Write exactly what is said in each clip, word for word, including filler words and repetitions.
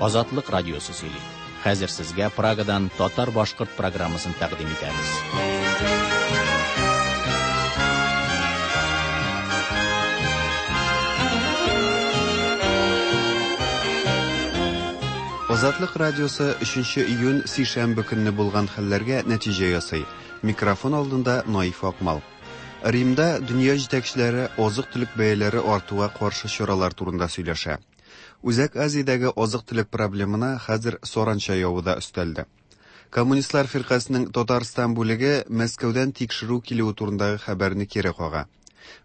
Азатлык радиосы сөйли. Хәзер сезгә Прагадан татар-башкорт программасын тәкъдим итәбез. Азатлык радиосы өченче июнь сишәмбе көнне булган хәлләргә нәтиҗә ясый. Микрофон алдында Наиф Акмал. Римда дөнья җитәкчеләре азык-төлек бәяләре артуга каршы чаралар турында сөйләшә. Үзәк Азиядәге азык-төлек проблемына хәзер саранча явы да өстәлде. Коммунистлар фиркасының Татарстан бүлеге Мәскәүдән тикшерү килүе турындагы хәбәрне кире кага.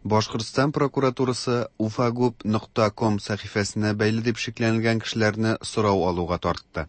Башкортстан прокуратурасы уфагуб нокта ком сәхифәсенә бәйле дип шикләнелгән кешеләрне сорау алуга тартты.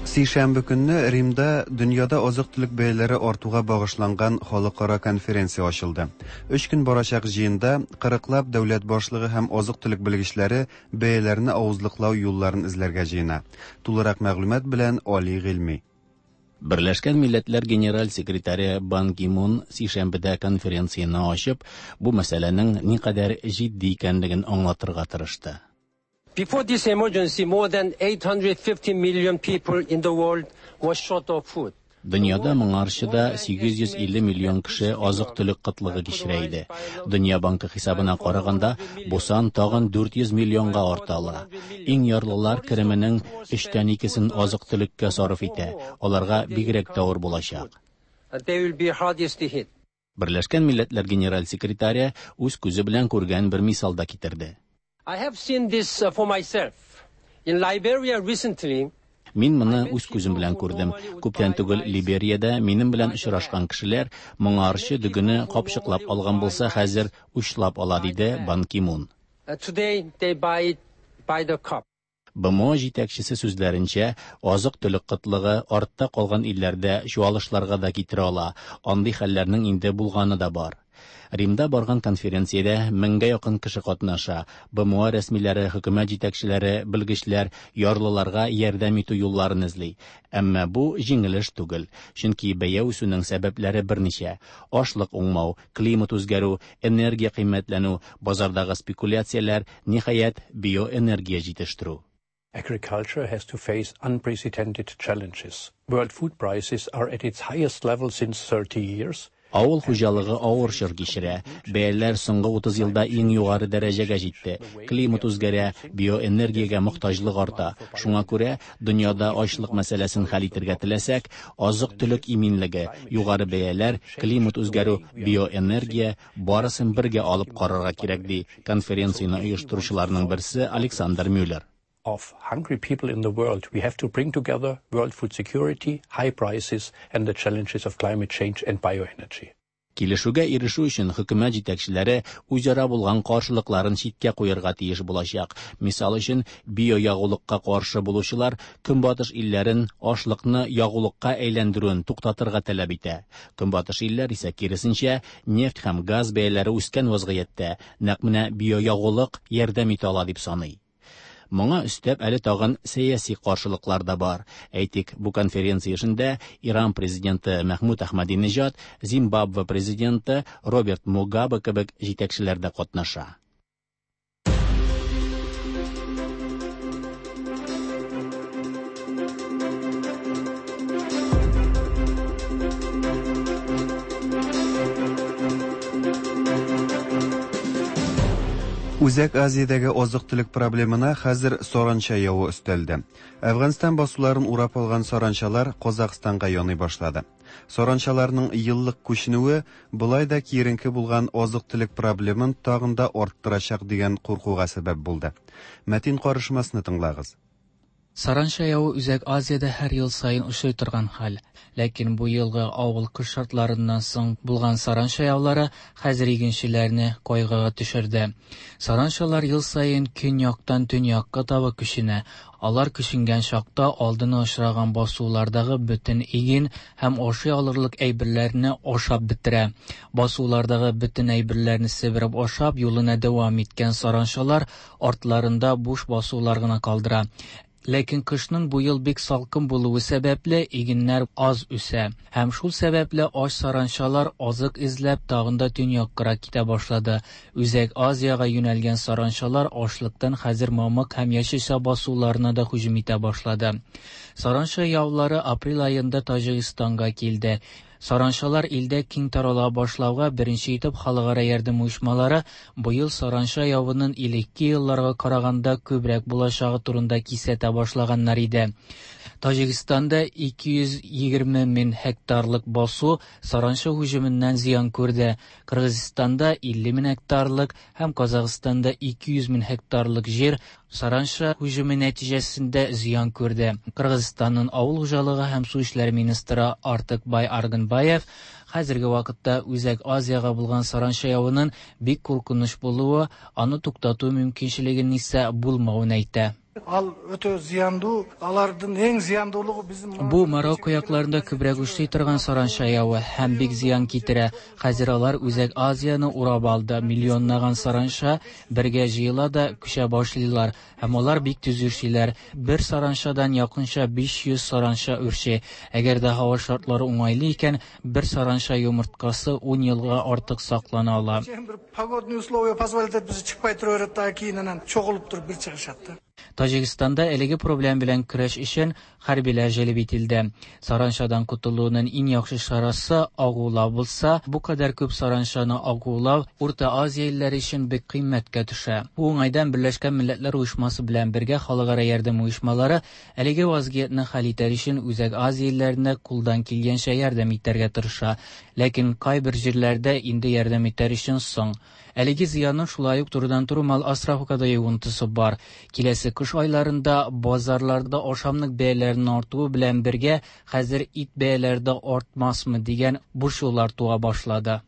Сишәмбе көнне Римда дөньяда азык-төлек бәяләре артуга багышланган халыкара конференция ачылды. Өч көн барачак җыенда кырыклап дәүләт башлыгы һәм азык-төлек белгечләре бәяләрне авызлыклау юлларын эзләргә җыена. Тулырак мәгълүмат белән Али Гыйльми. Берләшкән Милләтләр Генераль секретаре Бан Ги Мун сишәмбедә конференцияне ачып, бу мәсьәләнең никадәр җитди икәнлеген аңлатырга тырышты. Before this emergency, more than eight hundred fifty million people in the world were short of food. Дөньяда моңарчы да сигез йөз илле миллион кеше азык-төлек кытлыгы кичерә иде. Дөнья банкы хисабына караганда, бу сан тагын дүрт йөз миллионга арта ала. Иң ярлылар кеременең өчтән икесен азык-төлеккә сарыф итә. Аларга бигрәк тә авыр булачак. They will be hardest hit. Берләшкән Милләтләр Генераль секретаре үз күзе белән күргән бер мисал да китерде. I have seen this for myself. In Liberia recently, Мин моны үз күзем белән күрдем. Күптән түгел Либериядә минем белән очрашкан кешеләр моңарчы дөгене капчыклап алган булса, хәзер учлап ала, диде Бан Ги Мун. Today they buy it by the cup. Б М О җитәкчесе сүзләренчә, азык-төлек кытлыгы артта калган илләрдә чуалышларга да китерә ала. Андый хәлләрнең инде булганы да бар. Римда барган конференциядә меңгә якын кеше катнаша. Б М О рәсмиләре, хөкүмәт җитәкчеләре, белгечләр ярлыларга ярдәм итү юлларын эзли. Әмма бу җиңел эш түгел, чөнки бәя үсүнең сәбәпләре берничә: ашлык уңмау, климат үзгәрү, энергия кыйммәтләнү, базардагы спекуляцияләр, ниһаять, биоэнергия җитештерү. Agriculture has to face unprecedented challenges. World food prices are at its highest level since thirty years. Авыл хуҗалыгы авыр чор кичерә. Бәяләр соңгы утыз елда иң югары дәрәҗәгә җитте. Климат үзгәрә, биоэнергиягә мохтаҗлык арта. Шуңа күрә дөньяда ачлык мәсьәләсен хәл итәргә теләсәк, азык-төлек иминлеге, югары бәяләр, климат үзгәрү, биоэнергия барысын бергә алып карарга кирәк, ди конференцияне оештыручыларның берсе Александр Мюллер. Of hungry people in the world, we have to bring together world food security, high prices and the challenges of climate change and bioenergy. Килешүгә ирешү өчен хөкүмәт җитәкчеләре үзара булган каршылыкларын читкә куярга тиеш булачак. Мисал өчен, биоягулыкка каршы булучылар Көнбатыш илләрен ашлыкны ягулыкка әйләндерүен туктатырга таләп итә. Көнбатыш илләр исә киресенчә, нефть һәм газ бәяләре үскән вазгыятьтә нәкъ менә биоягулык ярдәм итә ала дип саный. Моңа өстәп әле тагын сәяси каршылыклар да бар. Әйтик, бу конференция эшендә Иран президенты Мәхмүд Ахмадинежад, Зимбабве президенты Роберт Мугабе кебек җитәкчеләр дә катнаша. Үзәк Азиядәге азык-төлек проблемына хәзер саранча явы өстәлде. Әфганстан басуларын урап алган саранчалар Казахстанга яный башлады. Саранчаларның еллык күченүе болай да киеренке булган азык-төлек проблемын тагын да арттырачак дигән куркуга сәбәп булды. Мәтин карышмасны тыңлагыз. Саранча явы Үзәк Азиядә һәр ел саен очрый торган хәл. Ләкин бу елгы авыл кыш шартларыннан соң булган саранча яулары хәзер игенчеләрне кайгыга төшерде. Саранчалар ел саен көньяктан төньякка таба күченә. Алар күченгән чакта алдына очраган басулардагы бөтен иген һәм ашый алырлык әйберләрне ашап бетерә. Басулардагы бөтен әйберләрне себереп ашап юлына дәвам иткән саранчалар артларында буш басулар гына калдыра. Ләкин кышның бу ел бик салкын булуы сәбәпле игеннәр аз үсә. Һәм шул сәбәпле ач саранчалар азык эзләп тагын да төньяккарак китә башлады. Үзәк Азиягә юнәлгән саранчалар ачлыктан хәзер мамык һәм яшелчә басуларына да һөҗүм итә башлады. Саранча яулары апрель аенда Таҗикстанга килде. Саранчалар илдә киң тарала башлауга беренче итеп халыкара ярдәм оешмалары быел саранча явының элекке елларга караганда күбрәк булачагы турында кисәтә башлаганнар иде. Таҗикстанда ике йөз егерме мең гектарлык басу саранча һөҗүменнән зыян күрде. Кыргызстанда илле мең гектарлык һәм Казахстанда ике йөз мең гектарлык җир саранча һөҗүме нәтиҗәсендә зыян күрде. Кыргызстанның авыл хуҗалыгы һәм су эшләре министры Артыкбай Аргынбаев хәзерге вакытта Үзәк Азиягә булган саранча явының бик куркыныч булуы, аны туктату мөмкинчелегенең исә булмавын әйтә. Ал өтө зыяндуу, алардын эң зыяндуулугу биздин Бу Марокко якларында күбрәк үрчи торган саранча явы һәм бик зыян китерә. Хәзер алар Үзәк Азияны урап алды. Миллионлаган саранча бергә җыела да күчә башлыйлар һәм алар бик тиз үрчиләр. Бер саранчадан якынча биш йөз саранча үрчи. Әгәр дә һава шартлары уңайлы икән, бер саранча йомырткасы ун елга артык саклана ала. Бир погодный условия позволит этпесе чыкпай тура берет да, кийин анан чогулуп туруп бир чыгышат да. Таҗикстанда әлеге проблем белән көрәш өчен хәрбиләр җәлеп ителде. Саранчадан котылуның иң яхшы чарасы агулау булса, бу кадәр күп саранчаны агулау Урта Азия илләре өчен бик кыйммәткә төшә. Бу уңайдан Берләшкән Милләтләр Оешмасы белән бергә халыкара ярдәм оешмалары әлеге вазгыятьне хәл итәр өчен Үзәк Азия илләренә кулдан килгәнчә ярдәм итәргә тырыша. Ләкин кайбер җирләрдә инде ярдәм итәр өчен соң. Әлеге зыянның шулай ук турыдан-туры мал асрауга да йогынтысы бар. Киләсе кыш айларында базарларда ашамлык бәяләренең артуы белән бергә хәзер ит бәяләре дә артмасмы дигән борчулар туа башлады.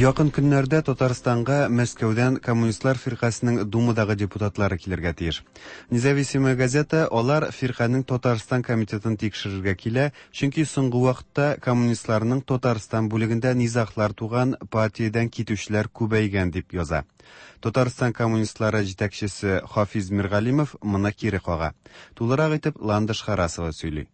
Якын көннәрдә Татарстанга Мәскәүдән Коммунистлар фиркасының Думадагы депутатлары килергә тиеш. Независимая газета алар фирканең Татарстан комитетын тикшерергә килә, чөнки соңгы вакытта коммунистларның Татарстан бүлегендә низаглар туган, партиядән китүчеләр күбәйгән дип яза. Татарстан коммунистлары җитәкчесе Хафиз Миргалимов моны кире кага. Тулырак итеп Ландыш Харасова сөйли.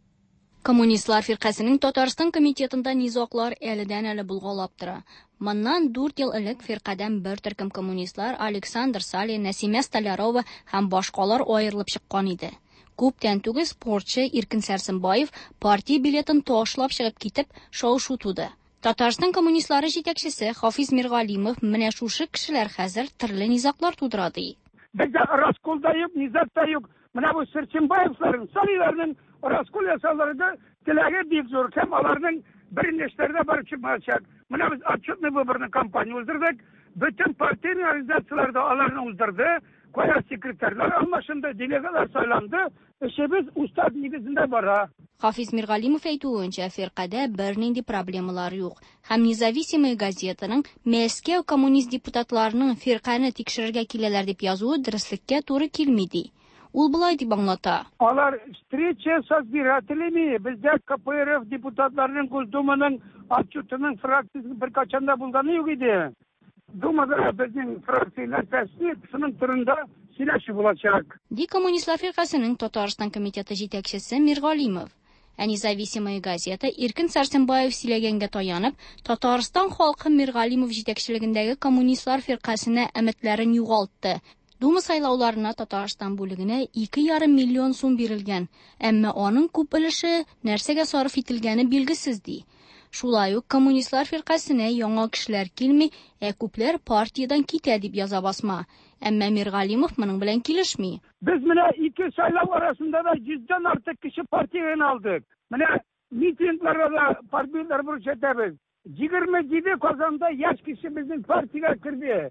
Коммунистлар фиркасының Татарстан комитетында низаглар әледән-әле булгалап тора. Моннан дүрт ел элек фиркадән бер төркем коммунистлар Александр Салин, Нәсимә Столярова һәм башкалар аерылып чыккан иде. Күптән түгел спортчы Иркен Сәрсенбаев партия билетын ташлап чыгып китеп, шау-шу туды. Татарстан коммунистлары җитәкчесе Хафиз Миргалимов менә шушы кешеләр хәзер төрле низаглар тудыра ди. Бездә раскол да юк, низаг та юк. Менә бу Сәрсенбаевларның, Салиларның раскол ясауларында теләге бик зур. Һәм аларның беренчеләрдә барып чыкмаячак. Менә без отчетный выборный кампания уздырдык. Бөтен партийный организациялар да аларны уздырды. Кая секретарьлар алмашынды, делегатлар сайланды. Эшебез устав нигезендә бара. Хафиз Миргалимов әйтүенчә, фиркадә бернинди проблемалар юк. Һәм Независимая газетаның Мәскәү коммунист депутатларының фирканы тикшерергә киләләр дип язуы дөреслеккә туры килми ди. Ул болай дип аңлата. Алар встреча с избирателями, бездә К П Р Ф депутатларының Госдуманың отчетының фракциясе беркайчан да булганы юк иде. Думада безнең фракция нәрсәсе, шуның турында сөйләшү булачак. Ди Коммунистлар фиркасының Татарстан комитеты җитәкчесе Миргалимов. Ә Независимая газета Иркен Сәрсенбаев сөйләгәнгә таянып, Татарстан халкы Миргалимов җитәкчелегендәге Коммунистлар фиркасына өметләрен югалтты. Дума сайлауларына Татарстан бүлегенә ике ярым миллион сум бирелгән, әмма аның күп өлеше нәрсәгә сарыф ителгәне билгесез ди. Шулай ук Коммунистлар фиркасына яңа кешеләр килми, ә күпләр партиядән китә дип яза басма. Әмма Миргалимов моның белән килешми. Без менә ике сайлау арасында да йөздән артык кеше партиядән алдык. Менә митингларда да партияләр күрсәтәбез. Егерме җиде Казанда яшь кеше безнең партиягә керде.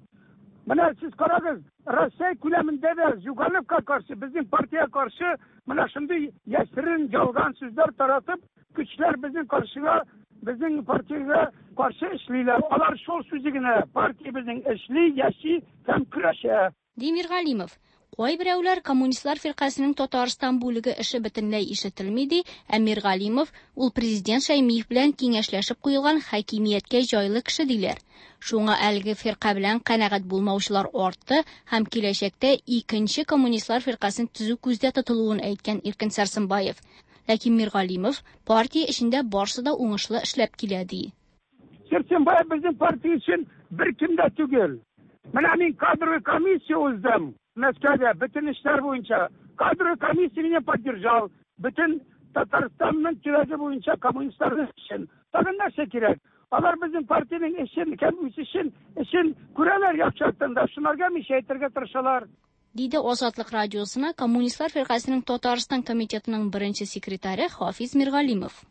Менә сез карагыз, Россия күләмендә дә Зюгановка каршы, безнең партиягә каршы менә шундый яшерен ялган сүзләр таратып, көчләр безнең каршыга, безнең партиягә каршы эшлиләр. Алар шул сүзе генә, партия безнең эшли, яши һәм көрәшә. Ди Миргалимов. Кайберәүләр Коммунистлар фиркасенең Татарстан бүлеге эше бөтенләй ишетелми ди, ә Миргалимов ул президент Шәймиев белән киңәшләшеп куелган хакимияткә җайлы кеше диләр. Шуңа әлеге фирка белән канәгать булмаучылар артты һәм киләчәктә икенче Коммунистлар фиркасын төзү күздә тотылуын әйткән Иркен Сәрсенбаев. Ләкин Миргалимов партия эчендә барсы да уңышлы эшләп килә ди. Сәрсенбаев безнең партия өчен беркем дә түгел. Менә мин кадровый комиссия уздым. Мәскәүдә бөтен эшләр буенча кадровый комиссия меня поддержал. Бөтен Татарстанның төбәге буенча коммунистларның эшен. Тагын нәрсә кирәк? Алар безнең партиянең эшен, һәм үсешен, эшен күрәләр яхшы яктан да. Шуларга мишә әйтергә тырышалар. Диде Азатлык радиосына Коммунистлар фиркасенең Татарстан комитетының беренче секретаре Хафиз Миргалимов.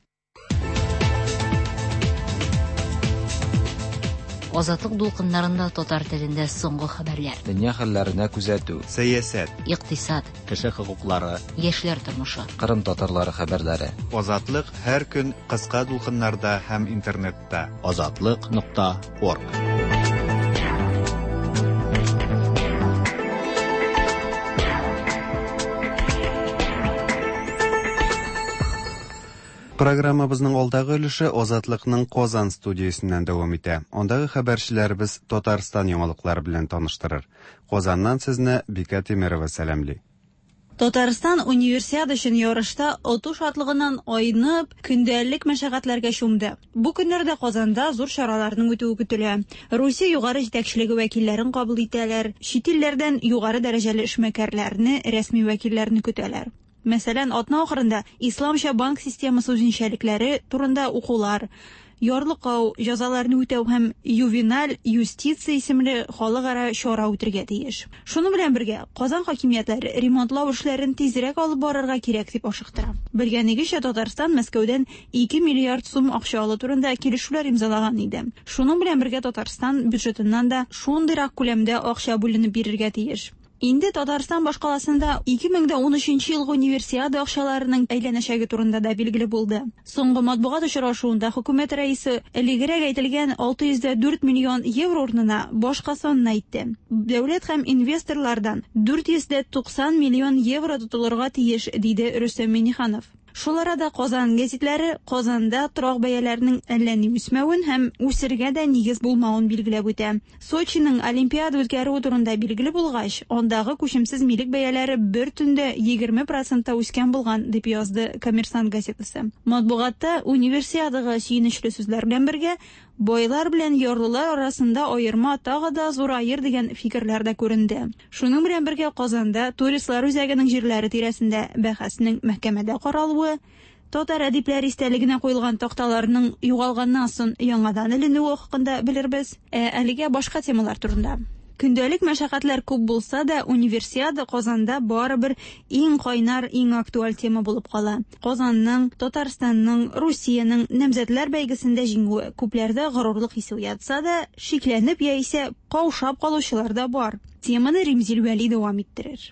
Азатлык дулкыннарында татар телендә соңгы хәбәрләр. Дөнья хәлләренә күзәтү. Сәясәт, икътисад, кеше хокуклары, яшьләр тормышы. Кырым татарлары хәбәрләре. Азатлык һәр көн кыска дулкыннарда һәм интернетта. Азатлык нокта орг. Программабызның алдагы өлеше Азатлыкның Казан студиясеннән дәвам итә. Андагы хәбәрчеләребез Татарстан яңалыклары белән таныштырыр. Казаннан сезне Бикә Тимирова сәламли. Татарстан универсиада өчен ярышта оту шатлыгыннан айнып, көндәлек мәшәкатьләргә чумды. Бу көннәрдә Казанда зур чараларның үтүе көтелә. Русия югары җитәкчелеге вәкилләрен кабул итәләр, чит илләрдән югары дәрәҗәле эшмәкәрләрне, рәсми вәкилләрне көтәләр. Мәсәлән, атна ахырында исламча банк системасы үзенчәлекләре турында укулар, ярлыкау, җәзаларны үтәү һәм ювеналь юстиция исемле халыкара чара үтергә тиеш. Шуның белән бергә Казан хакимиятләре ремонтлау эшләрен тизрәк алып барырга кирәк дип ашыктыра. Белгәнегезчә, Татарстан Мәскәүдән ике миллиард сум акча алу турында килешүләр имзалаган иде. Шуның белән бергә Татарстан бюджетыннан да шундыйрак күләмдә акча бүленеп бирергә тиеш. Инде Татарстан башкаласында ике мең дә унөченче елгы универсиада акчаларының әйләнәчәге турында да билгеле булды. Соңгы матбугат очрашуында хөкүмәт рәисе элегрәк әйтелгән алты йөз дә дүрт миллион евро урынына башка санны әйтте. Дәүләт һәм инвесторлардан дүрт йөз дә туксан миллион евро тотылырга тиеш, диде Рөстәм Миңнеханов. Шул арада Казан гәзитләре Казанда торак бәяләренең әллә ни үсмәвен һәм үсергә дә нигез булмавын билгеләп үтә. Сочиның Олимпиада үткәрүе турында билгеле булгач, андагы күчемсез милек бәяләре бер төндә егерме процентта үскән булган, дип язды Коммерсант газетасы. Матбугатта универсиадага сөенечле сүзләр белән бергә байлар белән ярлылар арасында аерма тагы да зураер дигән фикерләр дә күренде. Шуның белән бергә Казанда туристлар үзәгенең җирләре тирәсендә бәхәснең мәхкәмәдә каралуы, татар әдипләр истәлегенә куелган такталарның югалганнан соң яңадан эленүе хакында белербез. Ә әлегә башка темалар турында. Көндәлек мәшәкатьләр күп булса да, универсиада Казанда барыбер иң кайнар, иң актуаль тема булып кала. Казанның, Татарстанның, Русиянең намзәтләр бәйгесендә җиңүе күпләрдә горурлык хисе уятса да, шикләнеп яисә каушап калучылар да бар. Теманы Римзил Вәли дәвам иттерер.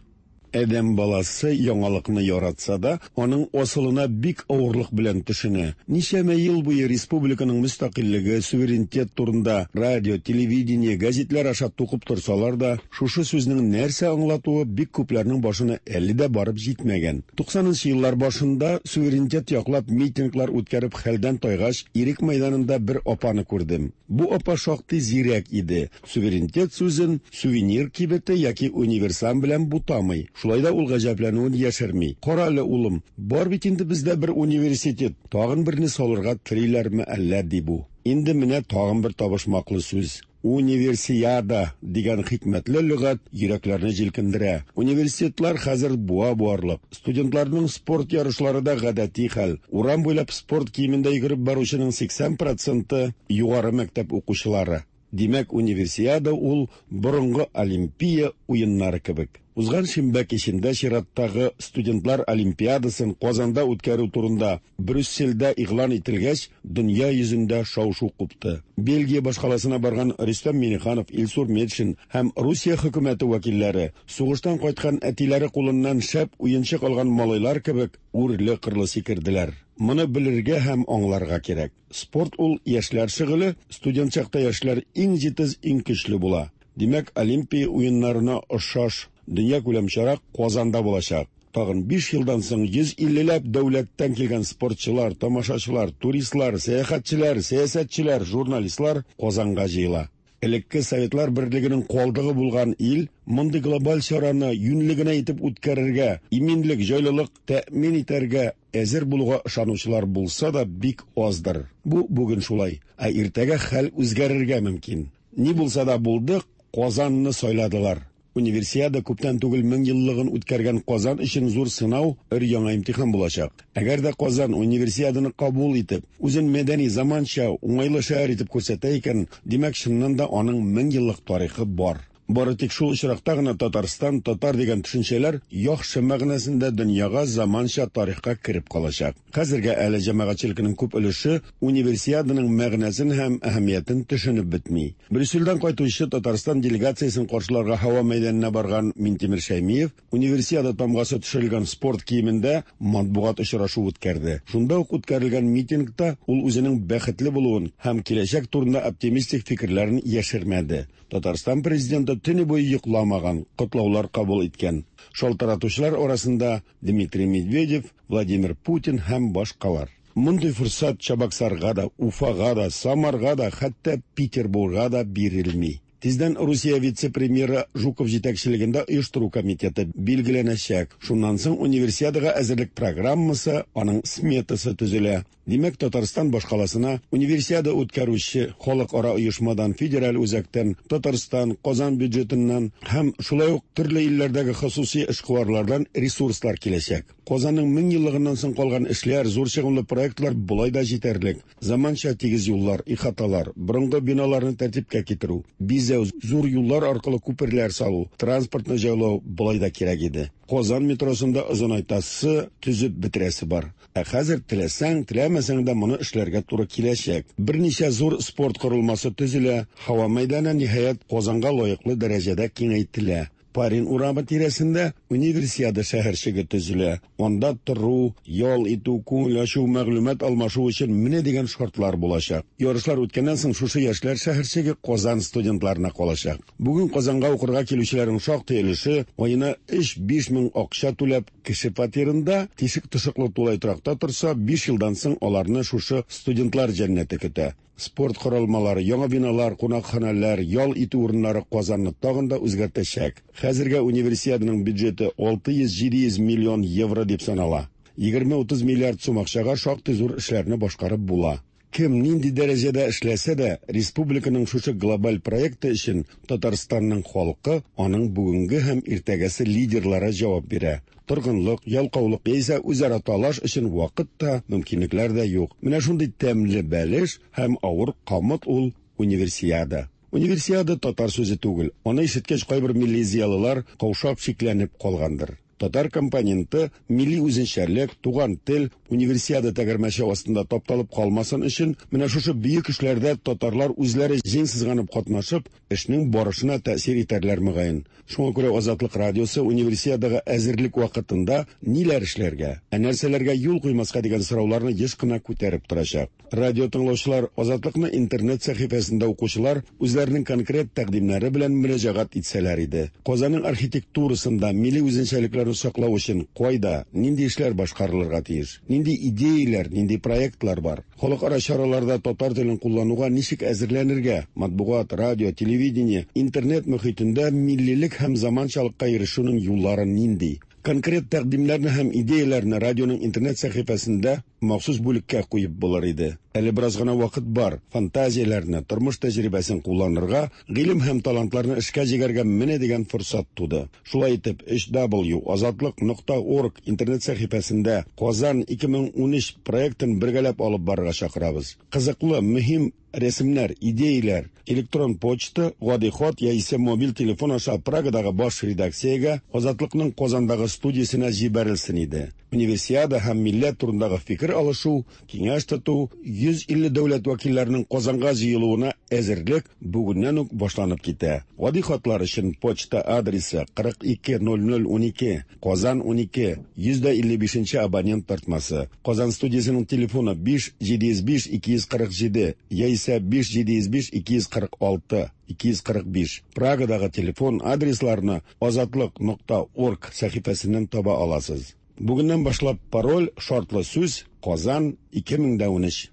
Адәм баласы яңалыкны яратса да, аның асылына бик авырлык белән төшенә. Ничәмә ел буе республиканың мөстәкыйльлеге, суверенитет турында радио, телевидение, гәзитләр аша тукып торсалар да, шушы сүзнең нәрсә аңлатуы бик күпләрнең башына әле дә барып җитмәгән. туксанынчы еллар башында суверенитет яклап митинглар үткәреп хәлдән тайгач, Ирек мәйданында бер апаны күрдем. Бу апа шактый зирәк иде. Суверенитет сүзен сувенир кибете яки универсам белән бутамый. Шулай да ул гаҗәпләнүен яшерми. Кара әле, улым, бар бит инде бездә бер университет, тагын берне салырга телиләрме әллә, ди бу. Инде менә тагын бер табышмаклы сүз. Универсиада дигән хикмәтле лөгать йөрәкләрне җилкендерә. Университетлар хәзер буа буарлык. Студентларның спорт ярышлары да гадәти хәл. Урам буйлап спорт киемендә йөгереп баручының сиксән проценты югары мәктәп укучылары. Димәк, универсиада ул борынгы Олимпия уеннары кебек. Узган шимбә кичендә чираттагы студентлар олимпиадасын Казанда үткәрү турында Брюссельдә игълан ителгәч, дөнья йөзендә шау-шу купты. Бельгия башкаласына барган Рөстәм Миңнеханов, Илсур Метшин һәм Русия хөкүмәте вәкилләре сугыштан кайткан әтиләре кулыннан шәп уенчык алган малайлар кебек үрле-кырлы сикерделәр. Моны белергә һәм аңларга кирәк. Спорт ул яшьләр шөгыле, студент чакта яшьләр иң җитез, иң көчле була. Димәк, Олимпия уеннарына охшаш Дөньякүләм чара Казанда булачак. Тагын биш елдан соң йөз иллеләп дәүләттән килгән спортчылар, тамашачылар, туристлар, сәяхәтчеләр, сәясәтчеләр, журналистлар Казанга җыела. Элекке Советлар Берлегенең калдыгы булган ил мондый глобаль чараны юньле генә итеп үткәрергә, иминлек, җайлылык тәэмин итәргә әзер булуга ышанучылар булса да бик аздыр. Бу бүген шулай, ә иртәгә хәл үзгәрергә мөмкин. Ни булса да булды, Казанны сайладылар. Универсиада күптән түгел мең еллыгын үткәргән Казан өчен зур сынау, өр яңа имтихан булачак. Әгәр дә Казан универсиаданы кабул итеп, үзен мәдәни, заманча, уңайлы шәһәр итеп күрсәтә икән, димәк, чыннан да аның мең еллык тарихы бар. Бары тик шул очракта гына Татарстан, татар дигән төшенчәләр яхшы мәгънәсендә дөньяга, заманча тарихка кереп калачак. Хәзергә әле җәмәгатьчелекнең күп өлеше универсиаданың мәгънәсен һәм әһәмиятен төшенеп бетми. Брюссельдән кайтучы Татарстан делегациясен каршыларга һава мәйданына барган Минтимер Шәймиев универсиада тамгасы төшерелгән спорт киемендә матбугат очрашу үткәрде. Шунда ук үткәрелгән митингта ул үзенең бәхетле булуын һәм киләчәк турында оптимистик фикерләрен яшермәде. Татарстан президенты төне буе йокламаган, котлаулар кабул иткән. Шалтыратучылар арасында Дмитрий Медведев, Владимир Путин һәм башкалар. Мондый форсат Чабаксарга да, Уфага да, Самарга да, хәтта Петербургга да бирелми. Тиздән Русия вице-премьеры Жуков җитәкчелегендә оештыру комитеты билгеләнәчәк. Шуннан соң универсиадага әзерлек программасы, аның сметасы төзелә. Димәк, Татарстан башкаласына универсиада үткәрүче халыкара оешмадан, федераль үзәктән, Татарстан, Казан бюджетыннан һәм шулай ук төрле илләрдәге хосуси эшкуарлардан ресурслар киләчәк. Казанның мең еллыгыннан соң калган эшләр, зур чыгымлы проектлар болай да җитәрлек. Заманча тигез юллар, ихаталар, борынгы биналарны тәртипкә китерү, бизәү, зур юллар аркылы күперләр салу, транспортны җайлау болай да кирәк иде. Казан метросында озынайтасы, төзеп бетерәсе бар. Ә хәзер теләсәң, теләмәсәң дә моны эшләргә туры киләчәк. Берничә зур спорт корылмасы төзелә, һава мәйданы ниһаять Казанга лаеклы дәрәҗәдә киңәйтелә. Парин урамы тирәсендә универсиада шәһәрчеге төзелә. Анда тору, ял итү, күңел ачу, мәгълүмат алмашу өчен менә дигән шартлар булачак. Ярышлар үткәннән соң шушы яшьләр шәһәрчеге Казан студентларына калачак. Бүген Казанга укырга килүчеләрнең шактый өлеше аена өч-биш мең акча түләп кеше фатирында, тишек тышыклы тулай торакта торса, биш елдан соң аларны шушы студентлар җәннәте көтә. Спорт корылмалары, яңа биналар, кунакханалар, ял итү урыннары Казанны тагын да үзгәртәчәк. Хәзергә универсиаданың бюджеты алты йөз-җиде йөз миллион евро дип санала. Егерме-утыз миллиард сум акчага шактый зур эшләрне башкарып була. Кем нинди дәрәҗәдә эшләсә дә, республиканың шушы глобаль проекты өчен Татарстанның халкы, аның бүгенге һәм иртәгәсе лидерлары җавап бирә. Торгынлык, ялкаулык яисә үзара талаш өчен вакыт та, мөмкинлекләр дә юк. Менә шундый тәмле бәлеш һәм авыр камыт ул универсиада. Универсиада татар сүзе түгел. Аны ишеткәч кайбер милли зыялылар каушап шикләнеп калгандыр. Татар компоненты, милли үзенчәлек, туган тел универсиада тәгәрмәче астында тапталып калмасын өчен менә шушы бөек эшләрдә татарлар үзләре җиң сызганып катнашып, эшнең барышына тәэсир итәрләр мөгаен. Шуңа күрә Азатлык радиосы универсиадага әзерлек вакытында ниләр эшләргә, ә нәрсәләргә юл куймаска дигән сорауларны еш кына күтәреп торачак. Радио тыңлаучылар, Азатлыкны интернет сәхифәсендә укучылар үзләренең конкрет тәкъдимнәре белән мөрәҗәгать итсәләр иде. Казанның архитектурасында милли үзенчәлекләрне саклау өчен кайда, нинди эшләр башкарылырга тиеш, нинди идеяләр, нинди проектлар бар. Халыкара чараларда татар телен куллануга ничек әзерләнергә, матбугат, радио, телевидение, интернет мөхитендә миллилек һәм заманчалыкка ирешүнең юллары нинди. Конкрет тәкъдимнәрне һәм идеяләрне радионың интернет сәхифәсендә махсус бүлеккә куеп булыр иде. Әле бераз гына вакыт бар, фантазияләрне, тормыш тәҗрибәсен кулланырга, гыйлем һәм талантларны эшкә җигәргә менә дигән форсат туды. Шулай итеп, өч дабл ю азатлык нокта орг интернет сәхифәсендә Казан ике мең унөч проектын бергәләп алып барырга чакырабыз. Кызыклы, мөһим рәсемнәр, идеяләр, электрон почта, гади хат яисә мобиль телефон аша Прагадагы баш редакциягә Азатлыкның Казандагы студиясенә җибәрелсен иде. Универсиада һәм милләт турындагы фикер алышу, киңәш тоту Йөз илле дәүләт вәкилләренең Казанга җыелуына әзерлек бүгеннән үк башланып китә. Гади хатлар өчен почта адресы кырык ике ноль ноль унике, Казан унике, йөз дә илле бишенче абонент тартмасы. Казан студиясенең телефоны биш җиде йөз биш ике йөз кырык җиде яисә биш җиде йөз биш ике йөз кырык алты ике йөз кырык биш. Прагадагы телефон адресларны азатлык нокта орг сәхифәсеннән таба аласыз. Бүгеннән башлап пароль шартлы сүз Казан ике мең дә унөч.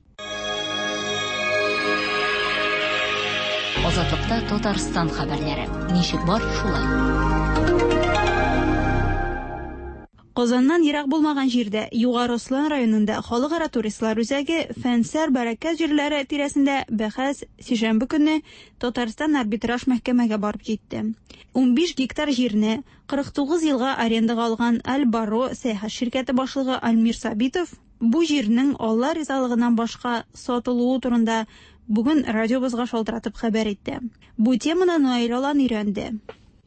Азатлыкта Татарстан хәбәрләре. Ничек бар шулай. Казаннан ерак булмаган җирдә, Югары Ослан районында халыкара туристлар үзәге Фәнсәр Бәрәкәт җирләре тирәсендә бәхәс сишәмбе көнне Татарстан арбитраж мәхкәмәгә барып җитте. Унбиш гектар җирне кырык тугыз елга арендага алган Аль-Баро сәяхәт ширкәте башлыгы Альмир Сабитов бу җирнең Алла ризалыгыннан башка сатылуы турында бүген радиобызга шалтыратып хәбәр итте. Бу теманы Наил Алан өйрәнде.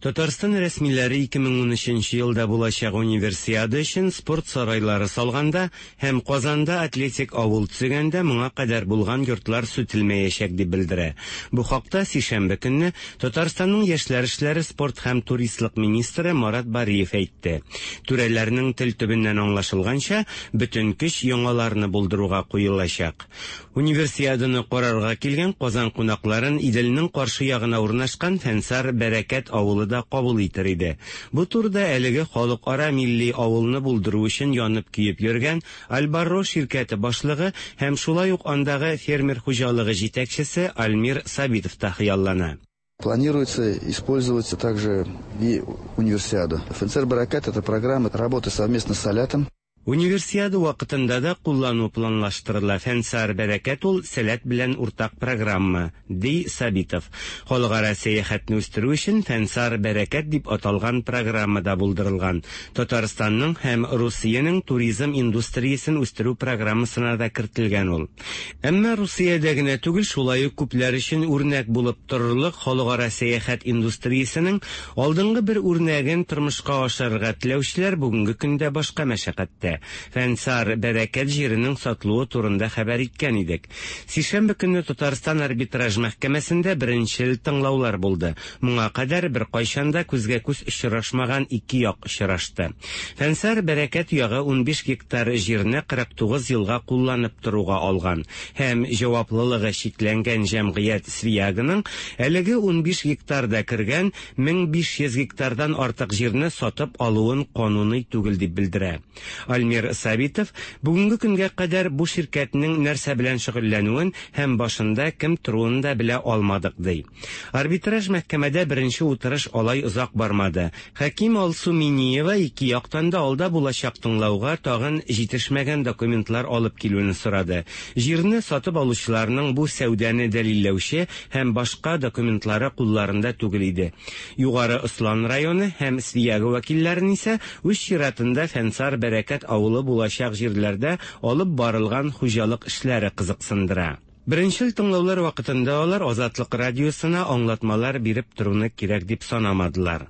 Татарстан рәсмиләре ике мең унөченче елда булачак универсиада өчен спорт сарайлары салганда һәм Казанда атлетик авыл төзегәндә моңа кадәр булган йортлар сүтелмәячәк дип белдерә. Бу хакта сишәмбе көнне Татарстанның яшьләр эшләре, спорт һәм туристлык министры Марат Бариев әйтте. Түрәләрнең тел төбеннән аңлашылганча, бөтен көч яңаларны булдыруга куелачак. Универсиаданы карарга килгән Казан кунакларын Иделнең каршы ягына урнашкан Фәнсар Бәрәкәт авылы да кабул итер иде. Бу турыда әлеге халыкара милли авылны булдыру өчен янып көеп йөргән Аль-Барро ширкәте башлыгы һәм шулай ук андагы фермер хуҗалыгы җитәкчесе Альмир Сабитов та хыяллана. Планируется использовать также и универсиаду. Фәнсар Бәрәкәт — это программа работы совместно с Салятом. Универсиада вакытында да куллану планлаштырыла. Фәнсар Бәрәкәт ул Сәләт белән уртак программа, ди Сабитов. Халыкара сәяхәтне үстерү өчен Фәнсар Бәрәкәт дип аталган программа да булдырылган. Татарстанның һәм Русиянең туризм индустриясен үстерү программасына да кертелгән ул. Әмма Русиядә генә түгел, шулай ук күпләр өчен үрнәк булып торырлык халыкара сәяхәт индустриясенең алдынгы бер үрнәген тормышка ашырырга теләүчеләр бүгенге көндә башка мәшәкатьтә. Фәнсар Бәрәкәт җиренең сатылуы турында хәбәр иткән идек. Сишәмбе көнне Татарстан арбитраж мәхкәмәсендә беренчел тыңлаулар булды. Моңа кадәр бер кайчан да күзгә күз очрашмаган ике як очрашты. Фәнсар Бәрәкәт ягы унбиш гектар җирне кырык тугыз елга кулланып торуга алган һәм җаваплылыгы чикләнгән җәмгыять Свиягының әлеге унбиш гектарда кергән мең биш йөз гектардан артык җирне сатып алуын кануный түгел дип белдерә. Альмир Сабитов бүгенге көнгә кадәр бу ширкәтнең нәрсә белән шөгыльләнүен һәм башында кем торуын да белә алмадык, ди. Арбитраж мәхкәмәдә беренче утырыш алай озак бармады. Хаким Алсу Миниева ике яктан да алда булачак тыңлауга тагын җитешмәгән документлар алып килүен сорады. Җирне сатып алучыларның бу сәүдәне дәлилләүче һәм башка документлары кулларында түгел иде. Югары Ослан районы һәм Свияга вәкилләрен исә үз чиратында Фәнсар Бәрәкәт авылы булачак җирләрдә алып барылган хуҗалык эшләре кызыксындыра. Беренчел тыңлаулар вакытында алар Азатлык радиосына аңлатмалар биреп торуны кирәк дип санамадылар.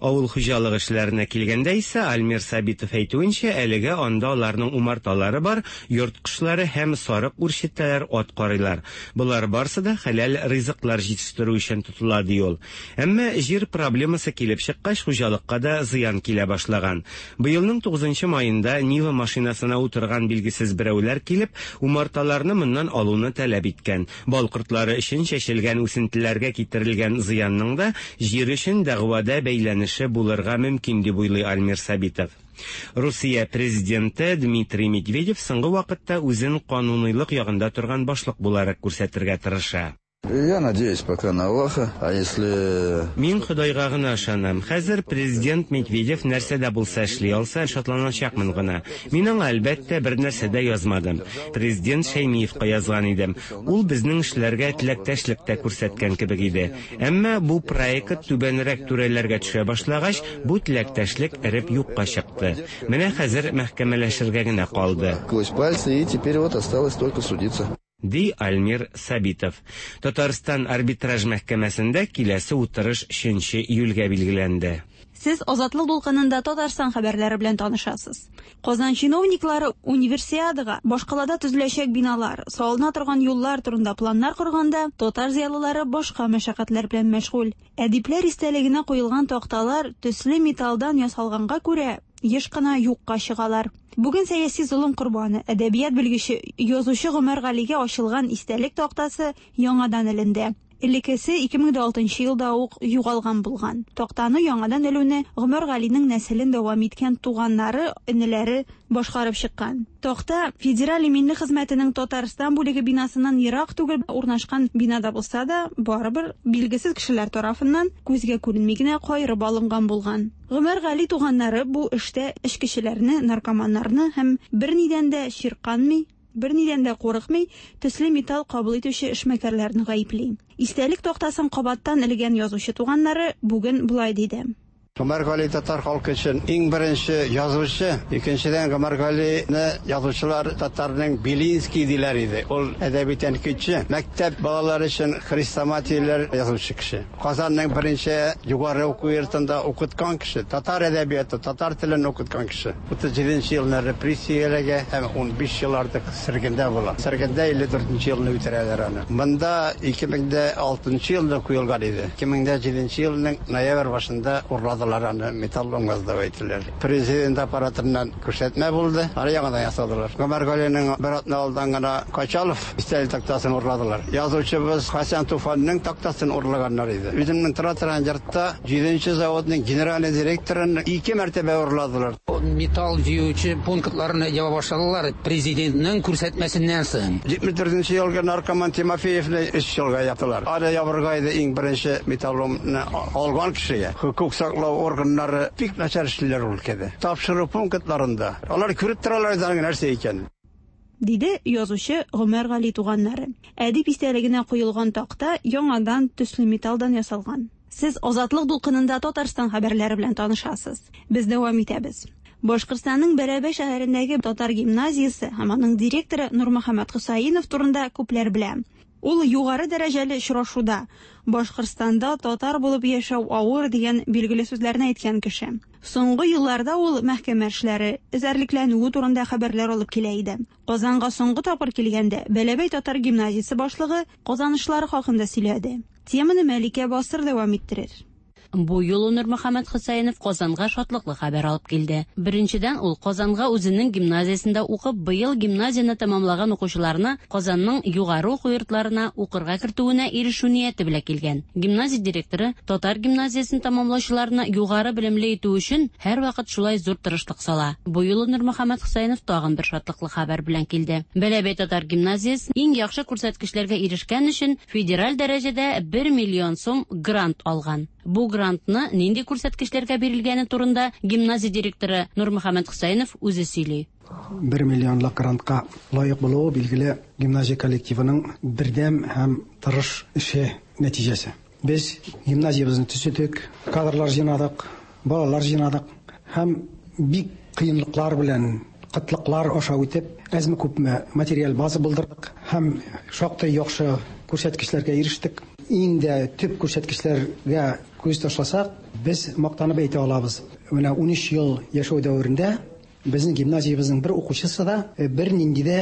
Авыл хуҗалыгы эшләренә килгәндә исә Альмир Сабитов әйтүенчә, әлегә анда аларның умарталары бар, йорт кошлары һәм сарык үрчетәләр, ат карыйлар. Болар барсы да хәләл ризыклар җитештерү өчен тотыла, ди ул. Әмма җир проблемасы килеп чыккач, хуҗалыкка да зыян килә башлаган. Быелның тугызынчы маенда Нива машинасына утырган билгесез берәүләр килеп, умарталарны моннан алуны таләп иткән. Бал кортлары өчен чәчелгән үсентеләргә китерелгән зыянның да җир өчен дәгъвада бәйләнеше булырга мөмкин дип уйлый Альмир Сабитов. Русия президенты Дмитрий Медведев соңгы вакытта үзен кануныйлык ягында торган башлык буларак күрсәтергә тырыша. Я надеюсь пока на Аллаха, а если... Мин Ходайга гына ышанам. Хәзер президент Медведев нәрсә дә булса эшли алса, шатланачакмын гына. Мин аңа әлбәттә бер нәрсә дә язмадым. Президент Шәймиевка язган идем. Ул безнең эшләргә теләктәшлек тә күрсәткән кебек иде. Әмма бу проект түбәнрәк түрәләргә төшә башлагач, бу теләктәшлек эреп юкка чыкты. Менә хәзер мәхкәмәләшергә генә калды. Сквозь пальцы, и теперь вот осталось только судиться. Ди Альмир Сабитов. Татарстан арбитраж мәхкәмәсендә киләсе утырыш өченче июльгә билгеләнде. Сез Азатлык дулкынында Татарстан хәбәрләре белән танышасыз. Казан чиновниклары универсиадага башкалада төзеләчәк биналар, салына торган юллар турында планнар корганда, татар зыялылары башка мәшәкатьләр белән мәшгуль. Әдипләр истәлегенә куелган такталар төсле металлдан ясалганга күрә еш кына юкка чыгалар. Бүген сәяси золым корбаны, әдәбият белгече, язучы Гомәр Галигә ачылган истәлек тактасы яңадан эленде. Элеккесе ике мең алтынчы елда ук югалган булган. Тактаны яңадан элүне Гомәр Галинең нәселен дәвам иткән туганнары, энеләре башкарып чыккан. Такта Федераль иминлек хезмәтенең Татарстан бүлеге бинасыннан ерак түгел урнашкан бинада булса да, барыбер билгесез кешеләр тарафыннан күзгә күренми генә кайрып алынган булган. Гомәр Гали туганнары бу эштә эчкечеләрне, наркоманнарны һәм бернидән дә чирканмый, бернидән дә курыкмый, төсле металл кабул итүче эшмәкәрләрне гаепли. Истәлек тактасын кабаттан элгән язучы туганнары бүген болай диде. Гомәр Гали татар халкы өчен иң беренче язучы, икенчедән Гомәр Галине язучылар татарның Белинский диләр иде. Ул әдәби тәнкыйтьче, мәктәп балалары өчен хрестоматияләр язучы кеше. Казанның беренче югары уку йортында укыткан кеше, татар әдәбияты, татар телен укыткан кеше. утыз җиденче елны репрессияләргә һәм унбиш ел артык сөргендә була. Сөргендә илле дүртенче елны үтерәләр аны. Монда ике мең алтынчы елда куелган иде. ике мең җиденче елның ноябрь башында урладылар аны, металлолом дип әйттеләр. Президент аппаратыннан күрсәтмә булды, аны яңадан ясадылар. Гомәр Галинең бер атна алдан гына Качалов истәлек тактасын урладылар. Язучыбыз Хәсән Туфанның тактасын урлаганнар иде. Үземнең тора торган йортта җиденче заводның генеральный директорын ике мәртәбә урладылар. Металл җыючы пунктларны яба башладылар президентның күрсәтмәсеннән соң. җитмеш дүртенче елгы наркоман Тимофеевны өч елга яптылар. Аны ябырга иде иң беренче металлоломны алган кешегә. Хукук саклау органнары бик начар эшлиләр өлкәдә. Тапшыру пунктларында алар күреп торалар аның нәрсә икәнен. Диде язучы Гомәр Гали туганнары. Әдип истәлегенә куелган такта яңадан төсле металлдан ясалган. Сез Азатлык дулкынында Татарстан хәбәрләре белән танышасыз. Без дәвам итәбез. Башкортстанның Бәләбәй шәһәрендәге татар гимназиясе һәм аның директоры Нурмөхәммәт Хөсәенов турында күпләр белә. Ул югары дәрәҗәле очрашуда Башкортстанда татар булып яшәү авыр дигән билгеле сүзләрне әйткән кеше. Соңгы елларда ул мәхкәмә эшләре, эзәрлекләнүе турында хәбәрләр алып килә иде. Казанга соңгы тапкыр килгәндә Бәләбәй татар гимназиясе башлыгы казанышлары хакында сөйләде. Теманы Мәликә Басыр дәвам иттерер. Бу юлы Нурмөхәммәт Хөсәенов Казанга шатлыклы хәбәр алып килде. Беренчедән, ул Казанга үзенең гимназиясендә укып, быел гимназияне тәмамлаган укучыларны Казанның югары уку йортларына укырга кертүенә ирешү нияте белән килгән. Гимназия директоры татар гимназиясен тәмамлаучыларны югары белемле итү өчен һәрвакыт шулай зур тырышлык сала. Бу юлы Нурмөхәммәт Хөсәенов тагын бер шатлыклы хәбәр белән килде. Бәләбәй татар гимназиясе иң яхшы күрсәткечләргә ирешкән өчен федераль дәрәҗәдә бер миллион сум грант алган. Бу грантны нинди күрсәткечләргә бирелгәне турында гимназия директоры Нурмөхәммәт Хөсәенов үзе сөйли. Бер миллионлык грантка лаек булуы билгеле гимназия коллективының бердәм һәм тырыш эше нәтиҗәсе. Без гимназиябезне төзедек, кадрлар җыйнадык, балалар җыйнадык һәм бик кыенлыклар белән кытлыклар аша үтеп, әзме күпме материаль база булдырдык һәм шактый яхшы күрсәткечләргә ирештек. Иң дә төп күрсәткечләргә күз ташласак, без мактанып әйтә алабыз. Менә унөч ел яшәү дәверендә безнең гимназиябезнең бер укучысы да бер нинди дә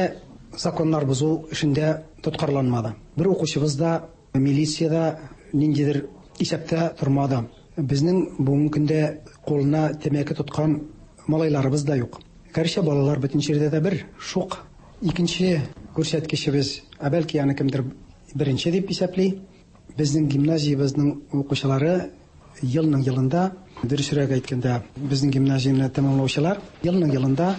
законнар бозу эшендә тоткарланмады. Бер укучыбыз да милициядә ниндидер исәптә тормады. Безнең бүгенге көндә кулына тәмәке тоткан малайларыбыз да юк. Гәрчә балалар бөтен җирдә дә бер шук. Икенче күрсәткечебез, ә бәлки аны кемдер беренче дип исәпли. Безнең гимназиябезнең укучылары елның елында, дөресрәк әйткәндә, безнең гимназияне тәмамлаучылар елның елында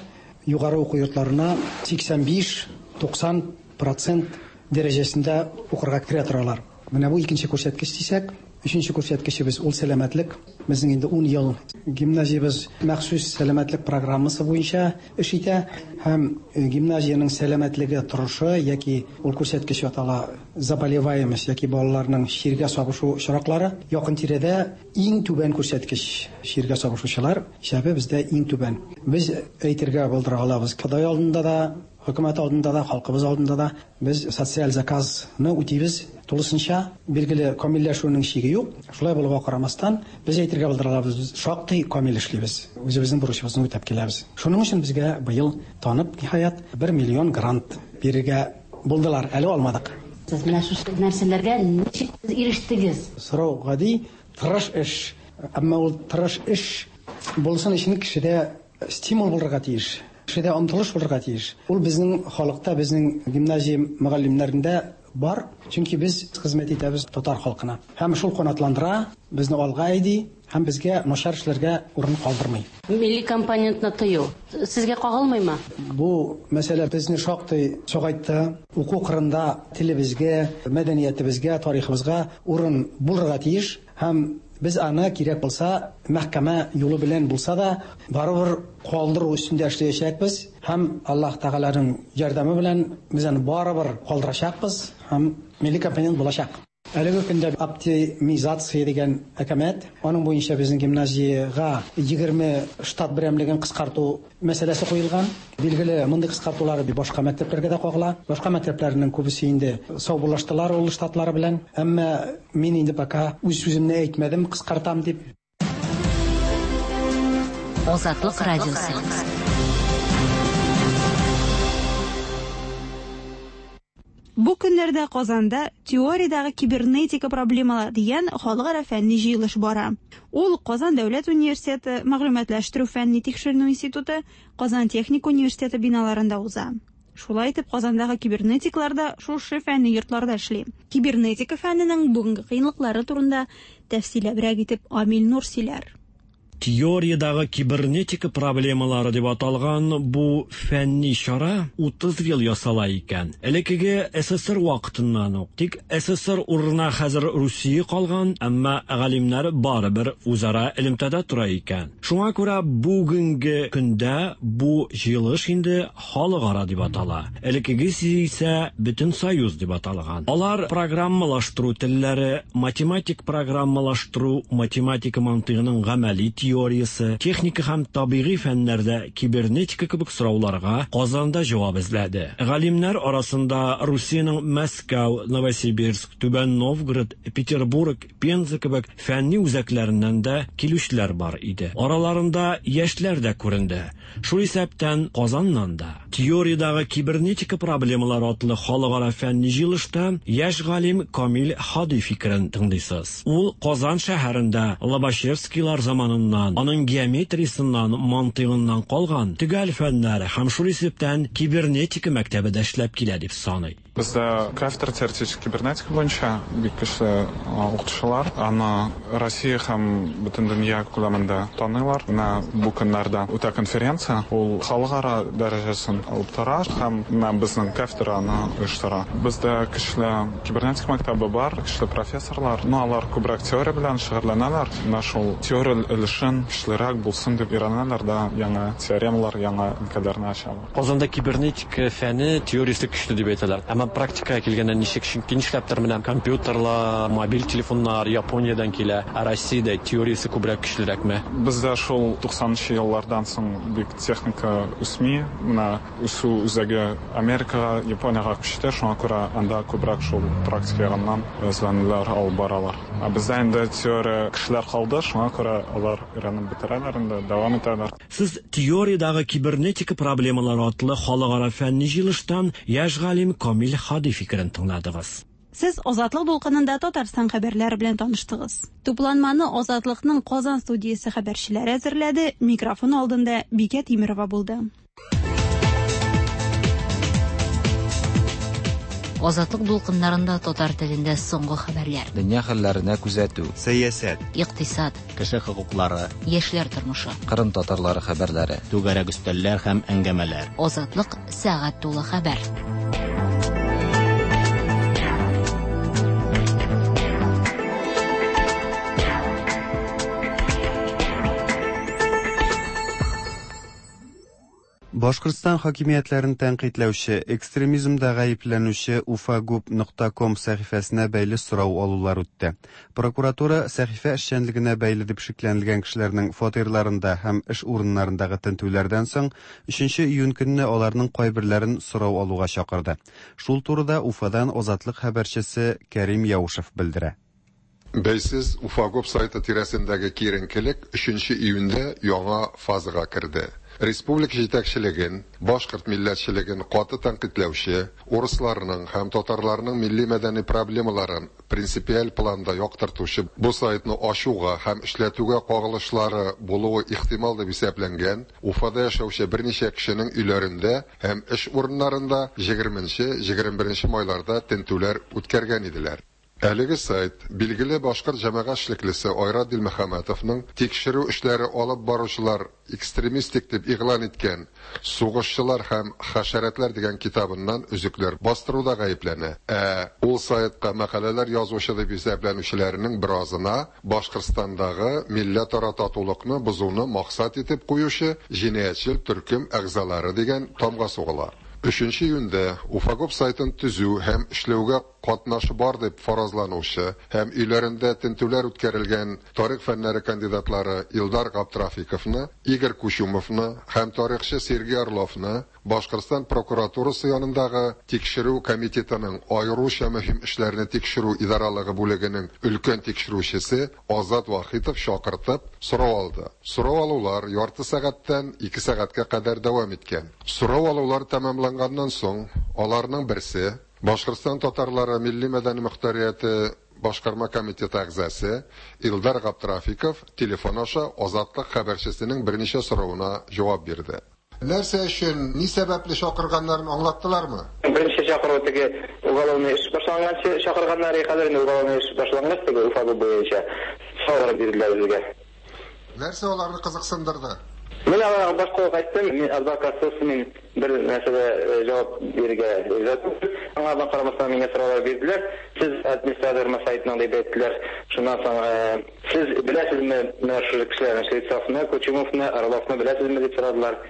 югары уку йортларына сиксән биш туксан процент дәрәҗәсендә укырга керә торалар. Менә бу икенче күрсәткеч дисәк, өченче күрсәткечебез ул сәламәтлек. Безнең инде ун ел гимназиябез махсус сәламәтлек программасы буенча эш итә һәм гимназиянең сәламәтлеге торышы яки ул күрсәткеч атала заболеваемость яки балаларның чиргә сабышу очраклары якын тирәдә иң түбән күрсәткеч. Чиргә сабышучылар исәбе бездә иң түбән. Без әйтергә булдыра алабыз, Ходай алдында да, Хөкүмәт алдында да, халкыбыз алдында да без социаль заказны үтибез тулысынча. Билгеле, камилләшүнең чиге юк. Шулай булуга карамастан, без әйтергә булдырабыз, без шактый камил эшлибез. Үзебезнең бурычыбызны үтәп киләбез. Шуның өчен безгә быел танып, ниһаять, бер миллион грант бирергә булдылар. Әле алмадык. Сез менә шушы нәрсәләргә ничек ирештегез? Сорау гади, тырыш эш. Әмма ул тырыш эш булсын өчен кешедә стимул булырга тиеш. Кешедә омтылыш булырга тиеш. Ул безнең халыкта, безнең гимназия мөгаллимнәрендә бар. Чөнки без хезмәт итәбез татар халкына. Һәм шул канатландыра, безне алга әйди, һәм безгә начар эшләргә урын калдырмый. Милли компонентны тыю сезгә кагылмыймы? Бу мәсьәлә безне шактый сагайтты. Уку кырында телебезгә, мәдәниятебезгә, тарихыбызга урын булырга тиеш. Һәм без аны кирәк булса, мәхкәмә юлы белән булса да, барыбер калдыру өстендә эшләячәкбез. Һәм Аллаһ Тәгаләнең ярдәме белән без аны барыбер калдырачакбыз һәм милли компонент булачак. Әлеге көндә оптимизация дигән әкәмәт, аның буенча безнең гимназиягә егерме штат берәмлеген кыскарту мәсьәләсе куелган. Билгеле, мондый кыскартулар башка мәктәпләргә дә кагыла. Башка мәктәпләрнең күбесе инде саубуллаштылар ул штатлары белән. Әмма мин инде пока үз сүземне әйтмәдем, кыскартам дип. Азатлык радиосы. Бу көннәрдә Казанда теориядәге кибернетика проблемалары дигән халыкара фәнни җыелыш бара. Ул Казан дәүләт университеты, мәгълүматлаштыру фәнни тикшеренү институты, Казан техник университеты биналарында уза. Шулай итеп, Казандагы кибернетиклар да шушы фәнни йортларда эшли. Кибернетика фәненең бүгенге кыенлыклары турында тәфсилләбрәк итеп Амил Нур сөйләр. Теориядагы кибернетика проблемалары дип аталган бу фәнни чара утыз ел ясала икән. Элеккеге СССР вакытыннан ук. Тик СССР урынына хәзер Русия калган, әмма галимнәр барыбер үзара элемтәдә тора икән. Шуңа күрә бүгенге көндә бу җыелыш инде халыкара дип атала. Элеккегесе исә бөтен союз дип аталган. Алар программалаштыру телләре, математик программалаштыру, математика мантыйгының гамәли теориясе, техника һәм табигый фәннәрдә кибернетика кебек сорауларга Казанда җавап эзләде. Галимнәр арасында Русиянең Мәскәү, Новосибирск, Түбән Новгород, Петербург, Пенза кебек фәнни үзәкләреннән дә килүчеләр бар иде. Араларында яшьләр дә күренде. Шул исәптән Казаннан да. Теориядагы кибернетика проблемалары атлы халыкара фәнни җыелышта яшь галим Камил Һади фикерен тыңлыйсыз. Ул Казан шәһәрендә Лобачевскийлар заманыннан, аның геометриясеннән, мантыйгыннан калган төгәл фәннәр һәм шул исәптән кибернетика мәктәбе дә эшләп килә дип саный. Бездә кафедра теоретик кибернетика буенча бик көчле укытучылар, аны Россия һәм бөтен дөнья күләмендә таныйлар. Менә бу көннәрдә үтә конференция, ул халыкара дәрәҗәсен алып тора һәм менә безнең кафедра аны оештыра. Бездә көчле кибернетика мәктәбе бар, көчле профессорлар, но алар күбрәк теория белән шөгыльләнәләр. Менә шул теория өлешен көчлерәк булсын дип өйрәнәләр дә, яңа теоремалар, яңа өлкәләрне ачалар. Казанда кибернетика фәне теориясе көчле дип әйтәләр. Әмма практикага килгәндә ничек, чөнки нишләптер менә компьютерлар, мобиль телефоннар Япониядән килә, ә Россиядә теориясе күбрәк көчлерәкме? Бездә шул туксанынчы еллардан соң бик техника үсми, менә үсү үзәге Америкага, Япониягә күчте, шуңа күрә анда күбрәк шул практика ягыннан эзләнүләр алып баралар. Ә бездә инде теория кешеләр калды, шуңа күрә алар өйрәнеп бетерәләр инде, дәвам итәләр. Сез теориядагы кибернетика проблемалары атлы халыкара фәнни җыелыштан яшь галим Камил Һади фикерен тыңладыгыз. Сез Азатлык дулкынында Татарстан хәбәрләре белән таныштыгыз. Тупланманы Азатлыкның Казан студиясе хәбәрчеләре әзерләде. Микрофон алдында Бикә Тимирова булды. Азатлык дулкыннарында татар телендә соңгы хәбәрләр. Дөнья хәлләренә күзәтү, сәясәт, икътисад, кеше хокуклары, яшьләр тормышы, Кырым татарлары хәбәрләре, түгәрәк өстәлләр һәм әңгәмәләр. Азатлык сәгать тулы хәбәр. Башкортстан хакимиятләрен тәнкыйтьләүче, экстремизмда гаепләнүче уфагуб нокта ком сәхифәсенә бәйле сорау алулар үтте. Прокуратура сәхифә эшчәнлегенә бәйле дип шикләнелгән кешеләрнең фатирларында һәм эш урыннарындагы тентүләрдән соң өченче июнь көнне аларның кайберләрен сорау алуга чакырды. Шул турыда Уфадан Азатлык хәбәрчесе Кәрим Яушев белдерә. Бәйсез Уфагуб сайты тирәсендәге киеренкелек өченче июньдә яңа фазага керде. Республика җитәкчелеген, башкорт милләтчелеген каты тәнкыйтьләүче, урысларның һәм татарларның милли-мәдәни проблемаларын принципиаль планда яктыртучы бу сайтны ачуга һәм эшләтүгә кагылышлары булуы ихтимал дип исәпләнгән Уфада яшәүче берничә кешенең өйләрендә һәм эш урыннарында егерменче-егерме беренче майларда тентүләр үткәргән иделәр. Әлеге сайт билгеле башкорт җәмәгать эшлеклесе Айрат Дилмөхәмәтовның тикшерү эшләре алып баручылар экстремистик дип игълан иткән Сугышчылар һәм хәшәрәтләр дигән китабыннан өзекләр бастыруда гаепләнә. Ә ул сайтка мәкаләләр язучы дип исәпләнүчеләрнең беразына Башкортстандагы милләтара татулыкны бозуны максат итеп куючы җинаятьчел төркем әгъзалары дигән тамга сугыла. Өченче июньдә Уфагуб сайтын төзү һәм эшләүгә катнашы бар дип фаразланучы һәм өйләрендә тентүләр үткәрелгән тарих фәннәре кандидатлары Илдар Габдрафиковны, Игорь Кучумовны һәм тарихчы Сергей Орловны Башкортстан прокуратурасы янындагы тикшерү комитетының аеруча мөһим эшләрне тикшерү идаралыгы бүлегенең өлкән тикшерүчесе Азат Вахитов чакыртып сорау алды. Сорау алулар ярты сәгатьтән ике сәгатькә кадәр дәвам иткән. Сорау алулар тәмамланганнан соң аларның берсе Башкортстан татарлары милли мәдәни мөхтәрияте башкарма комитеты әгъзасы Илдар Габдрафиков телефон аша Азатлык хәбәрчесенең берничә соравына җавап бирде. Нәрсә өчен, ни сәбәпле чакырганнарын аңлаттылармы? Беренче чакыру теге уголовный эш башланганчы чакырганнар, хәзер инде уголовный эш башлангач теге Уфагуб буенча сораулар бирделәр безгә. Нәрсә аларны кызыксындырды? Мин аларга башка ук әйттем, мин адвокатсыз, мин бер нәрсәгә җавап бирергә риза түгел. Аңа карамастан миңа сораулар бирделәр. Сез администратор сайтыннан дип әйттеләр. Шуннан соң сез беләсезме менә шул кешеләрне, Швейцовны, Кучумовны, Орловны беләсезме дип сорадылар.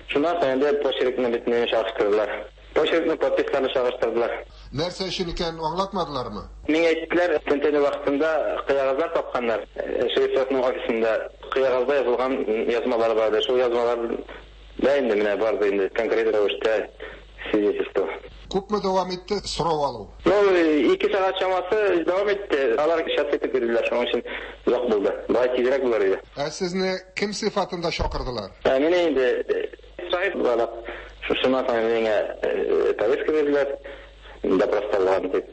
Шуннан соң инде почеркны бөтенләй чагыштырдылар. Почеркны, подписларны чагыштырдылар. Нәрсә өчен икәнен аңлатмадылармы? Миңа әйттеләр, тентү вакытында кыягазлар тапканнар. Швейцовның офисында кыягазда язылган язмалар бар иде. Шул язмалар да инде менә барды инде конкрет рәвештә свидетельство. Күпме дәвам итте сорау алу? Ну, ике сәгать чамасы дәвам итте. Алар сейчас итеп бирделәр, шуның өчен озак булды. Болай тизрәк булыр иде. Ә сезне кем сыйфатында чакырдылар? Ә мине инде сахиб буларак, шуннан соң миңа повестка бирделәр, допросталган дип.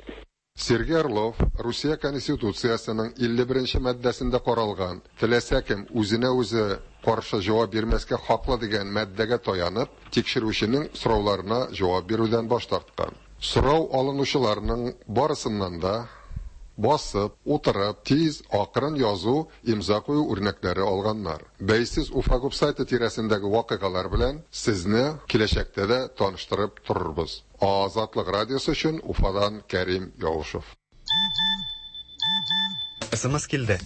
Сергей Орлов Русия Конституциясының илле беренче маддәсендә каралган теләсә кем үзенә үзе каршы җавап бирмәскә хаклы дигән маддәгә таянып, тикшерүченең сорауларына җавап бирүдән баш тарткан. Сорау алынучыларның барысыннан да басып, утырып, тиз, акрын язу, имза кую үрнәкләре алганнар. Бәйсез Уфагуб сайты тирәсендәге вакыйгалар белән сезне киләчәктә дә таныштырып торырбыз. Азатлык радиосы өчен Уфадан Кәрим Яушев. СМС килде.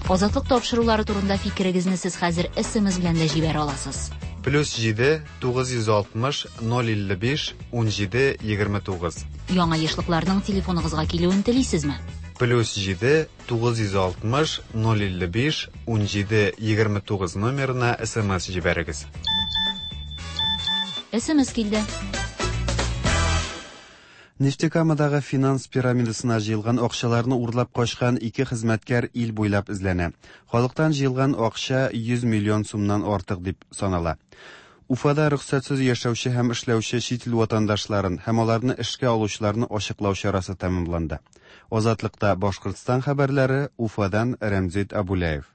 Азатлык тапшырулары турында фикерегезне сез хәзер СМС белән дә җибәрә аласыз. Плюс җиде, тугыз йөз алтмыш, ноль илле биш, ун җиде, егерме тугыз. Яңа ешлыкларның телефоныгызга килүен телисезме? Плюс җиде, тугыз йөз алтмыш, ноль илле биш, ун җиде, егерме тугыз номерына СМС җибәрегез. СМС килде. Нефтекамадагы финанс пирамидасына җыелган акчаларны урлап качкан ике хезмәткәр ил буйлап эзләнә. Халыктан җыелган акча йөз миллион сумнан артык дип санала. Уфада рөхсәтсез яшәүче һәм эшләүче чит ил ватандашларын һәм аларны эшкә алучыларны ачыклау чарасы тәмамланды. Азатлыкта Башкортстан хәбәрләре, Уфадан Рәмзит Абуляев.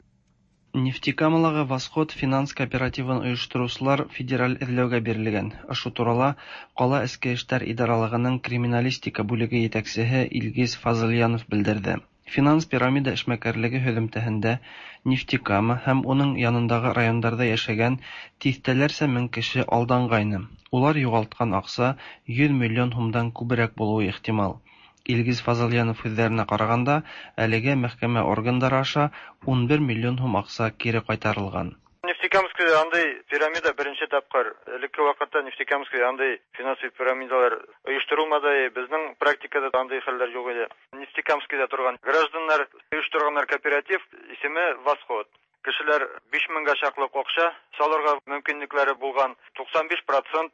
Нефтекамалагы Восход финанс кооперативын оештыручылар федераль эзләүгә бирелгән. Ошо турала кала эчке эшләр идаралыгының криминалистика бүлеге җитәкчесе Илгиз Фазыльянов белдерде. Финанс пирамида эшмәкәрлеге һөҙөмтәһендә Нефтекама һәм уның янындагы райондарда яшәгән тиҫтәләрсә мең кеше алдангайны. Улар юғалткан аҡса йөҙ миллион һумдан күберәк булыуы ихтимал. Илгиз Фазыльянов һүҙҙәренә ҡарағанда, әлегә мәхкәмә органдары аша ун бер миллион һум аҡса кире ҡайтарылған. Нефтекама Нефтекамскида андый пирамида беренче тапкыр. Элекке вакытта Нефтекамскида андый финансовый пирамидалар оештырылмады. Безнең практикада андый хәлләр юк иде. Нефтекамскида торган гражданнар оештырганнар кооператив, исеме Восход. Кешеләр биш меңгә чаклы акча салырга мөмкинлекләре булган. туксан биш процент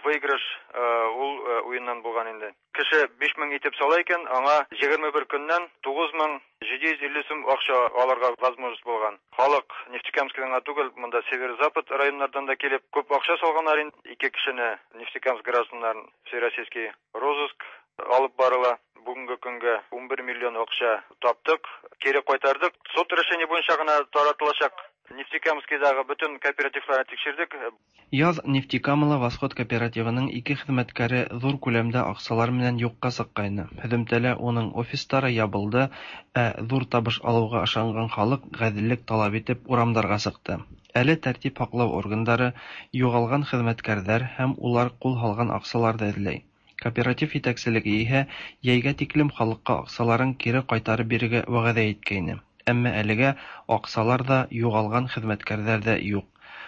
выигрыш ул уеннан булган инде. Кеше биш мең итеп сала икән, аңа егерме бер көннән тугыз мең җиде йөз илле сум акча алырга возможность булган. Халык Нефтекамскидан гына түгел, монда Северо-Запад районнардан да килеп күп акча салганнар инде. Ике кешене Нефтекамск гражданнарын всероссийский розыск алып барыла. Бүгенге көнгә ун бер миллион акча таптык, кире кайтардык. Суд решение буенча гына таратылачак. Нефтекамскидагы бөтен кооперативларны тикшердек. Яз Нефтекамала Восход кооперативының ике хезмәткәре зур күләмдә акчалар менән юкка чыккайны. Һөҙөмтәлә уның офистары ябылды, ә зур табыш алыуға ышанган халык гаделлек талап итеп урамдарга чыкты. Әле тәртип һаклау органдары югалган хезмәткәрләр һәм улар кул һалган акчаларны эзләй. Кооператив итәкселеге иһә йәйгә тиклем халыкка акчаларын кире кайтарып бирергә вәгъдә иткәйне. Әмма әлегә акчалар да, югалган хезмәткәрләр дә юк.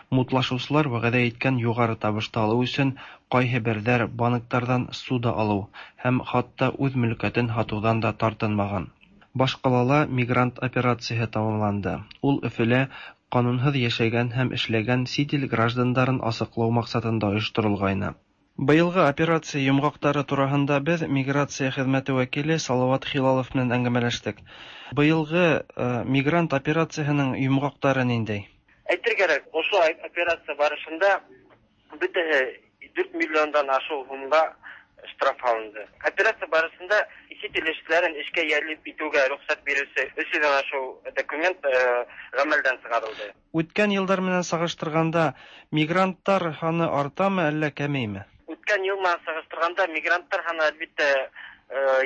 Мутлашучылар вәгъдә иткән югары табышты алу өчен кайһы берҙәр банктарҙан ссуда алыу һәм хатта үҙ мөлкәтен һатыуҙан да тартынмаған. Башҡалала мигрант операцияһы тамамланды. Ул Өфөлә ҡанунһыҙ йәшәгән һәм эшләгән сит ил граждандарын асыҡлау маҡсатында ойошторолғайны. Быйылғы операция йомғаҡтары тураһында беҙ миграция хеҙмәте вәкиле Салават Хилалов менән әңгәмәләштек. Быйылғы э, мигрант операцияһының йомғаҡтары ниндәй? Әйтер кәрәк, ошо операция барышында бөтәһе дүрт миллиондан ашыу һумға штраф алынды. Операция барышында сит ил эшселәрен эшкә йәлеп итеүгә рөхсәт биреүсе өс йөҙҙән ашыу документ э, ғәмәлдән сығарылды. Үткән йылдар менән сағыштырғанда мигранттар һаны артамы әллә кәмейме? Үткән йыл менән сағыштырғанда мигранттар һаны әлбиттә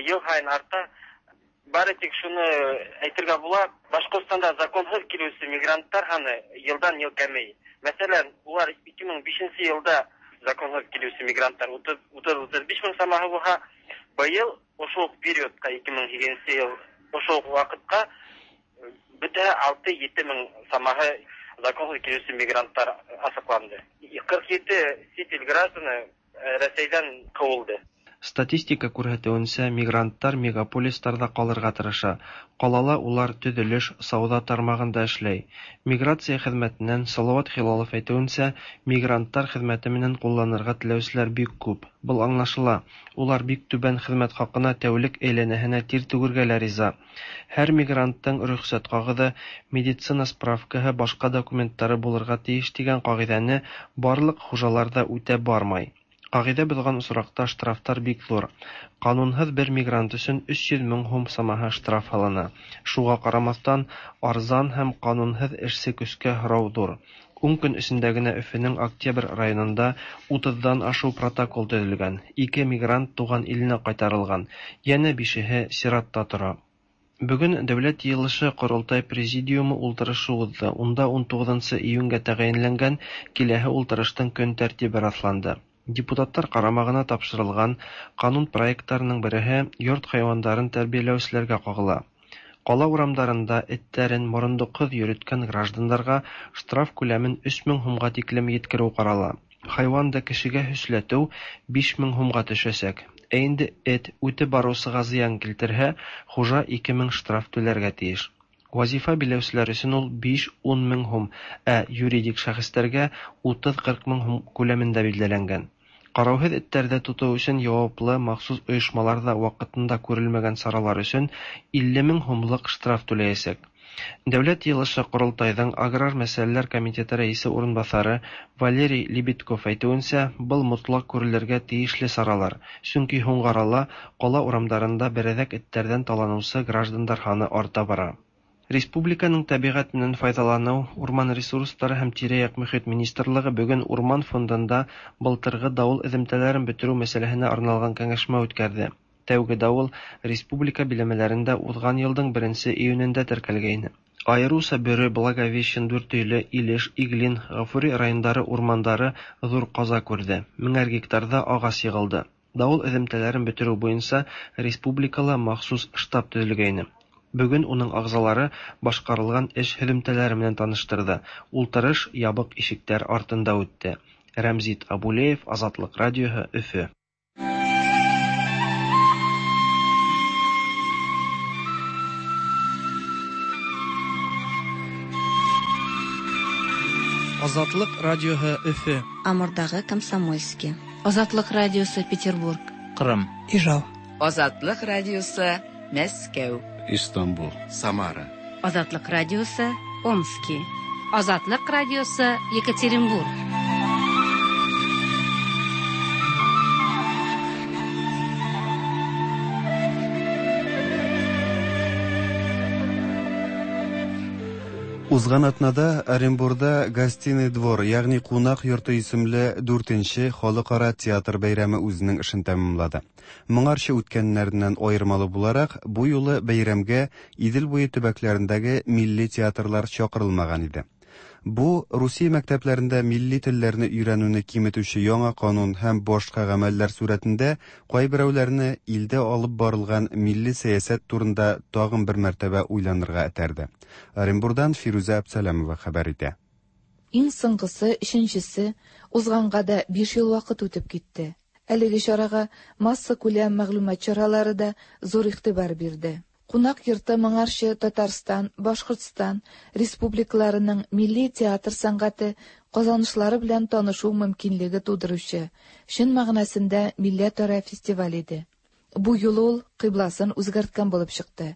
йыл һайын арта. Бары тик шуны әйтергә була, Башҡортостанда законһыҙ килеүсе мигранттар һаны йылдан йыл кәмей. Мәҫәлән, улар ике мең бишенсе йылда законһыҙ килеүсе мигранттар утыҙ-утыҙ биш мең самаһы булһа, быйыл ошо уҡ периодҡа ике мең һигеҙенсе йыл ошо уҡ ваҡытҡа бөтә алты-ете мең самаһы законһыҙ килеүсе мигранттар асыҡланды. Ҡырҡ ете сит ил гражданы Рәсәйҙән ҡыуылды. Статистика күрһәтеүенсә, мигранттар мегаполистарҙа ҡалырға тырыша. Ҡалала улар төҙөлөш, сауҙа тармағында эшләй. Миграция хеҙмәтенән Салават Хилалов әйтеүенсә, мигранттар хеҙмәте менән ҡулланырға теләүселәр бик күп. Был аңлашыла. Улар бик түбән хеҙмәт хаҡына тәүлек әйләнәһенә тир түгергә лә риза. Һәр мигранттың рөхсәт ҡағыҙы, медицина справкаһы, башҡа документтары булырға тейеш тигән ҡағиҙәне барлыҡ хужалар ҙа үтәп бармай. Ҡағиҙә боҙған осраҡта штрафтар бик ҙур. Ҡанунһыҙ бер мигрант өсөн өс йөҙ мең һум самаһы штраф һалына. Шуға ҡарамаҫтан, арзан һәм ҡанунһыҙ эшсе көскә һорау ҙур. Ун көн эсендә генә Өфөнөң Октябрь районында утыҙҙан ашыу протокол төҙөлгән. Ике мигрант туған иленә ҡайтарылған, йәнә бишеһе сиратта тора. Бөгөн Дәүләт Йыйылышы Ҡоролтай Президиумы ултырышы уҙҙы. Унда ун туғыҙынсы июнгә тәғәйенләнгән киләһе ултырыштың көн тәртибе раҫланды. Депутаттар ҡарамағына тапшырылған ҡанун проекттарының береһе йорт хайуандарын тәрбиәләүселәргә ҡағыла. Ҡала урамдарында эттәрен морондоҡһоҙ йөрөткән граждандарға штраф күләмен өс мең һумға тиклем еткереү ҡарала. Хайуанды кешегә һөсләтеү биш мең һумға төшәсәк. Ә инде эт үтеп барыусыға зыян килтерһә, хужа ике мең штраф түләргә тейеш. Вазифа биләүселәр өсөн ул биш-ун мең һум, ә юридик шәхестәргә утыҙ-ҡырҡ мең һум күләмендә билдәләнгән. Ҡарауһыҙ эттәрҙе тотоу өсөн яуаплы махсус ойошмаларҙа ваҡытында күрелмәгән саралар өсөн илле мең һумлыҡ штраф түләйәсәк. Дәүләт Йыйылышы Ҡоролтайҙың Аграр мәсьәләләр комитеты рәйесе урынбаҫары Валерий Лебедков әйтеүенсә, был мотлаҡ күрелергә тейешле саралар, сөнки һуңғы арала ҡала урамдарында берәҙәк эттәрҙән таланыусы граждандар һаны арта бара. Республиканың тәбиғәт менән файҙаланыу, урман ресурстары һәм тирә-яҡ мөхит министрлығы бөгөн Урман фондында былтырғы дауыл эҙемтәләрен бөтөрөү мәсьәләһенә арналған кәңәшмә үткәрҙе. Тәүге дауыл республика биләмәләрендә уҙған йылдың беренсе июнендә теркәлгәйне. Айырыуса Бөрө, Благовещен, Дүртөйлө, Илеш, Иглин, Ғафури райондары урмандары ҙур ҡаза күрҙе. Меңәр гектарҙа ағас йығылды. Дауыл эҙемтәләрен бөтөрөү буйынса республикала махсус штаб төҙөлгәйне. Бүген уның әгъзалары башкарылган эш һөҙөмтәләре менән таныштырҙы. Ултырыш ябыҡ ишектәр артында үтте. Рәмзит Абулеев, Азатлык радиоһы, Өфө. Азатлык радиоһы, Өфө. Амурдагы Комсомольский. Азатлык радиосы, Петербург. Кырым. Ижау. Азатлык радиосы, Мәскәү. Истанбул. Самара. Азатлык радиосы, Омски. Азатлык радиосы, Екатеринбург. Узган атнада Оренбурда Гостиный двор, ягъни кунак йорты исемле дүртенче халыкара театр бәйрәме үзенең эшен тәмамлады. Моңарчы үткәннәреннән аермалы буларак, бу юлы бәйрәмгә Идел буе төбәкләрендәге милли театрлар чакырылмаган иде. Бу Русия мәктәпләрендә милли телләрне өйрәнүне киметүче яңа канун һәм башка гамәлләр сурәтендә кайберәүләрне илдә алып барылган милли сәясәт турында тагын бер мәртәбә уйланырга этәрде. Оренбурдан Фирүзә Әбсәләмова хәбәр итә. Иң соңгысы, өченчесе, узганга да биш ел вакыт үтеп китте. Әлеге чарага массакүләм мәгълүмат чаралары да зур игътибар бирде. Кунак йорты моңарчы Татарстан, Башкортстан республикаларының милли театр сәнгате казанышлары белән танышу мөмкинлеге тудыручы, чын мәгънәсендә милләтара фестиваль иде. Бу юлы ул кыйбласын үзгәрткән булып чыкты.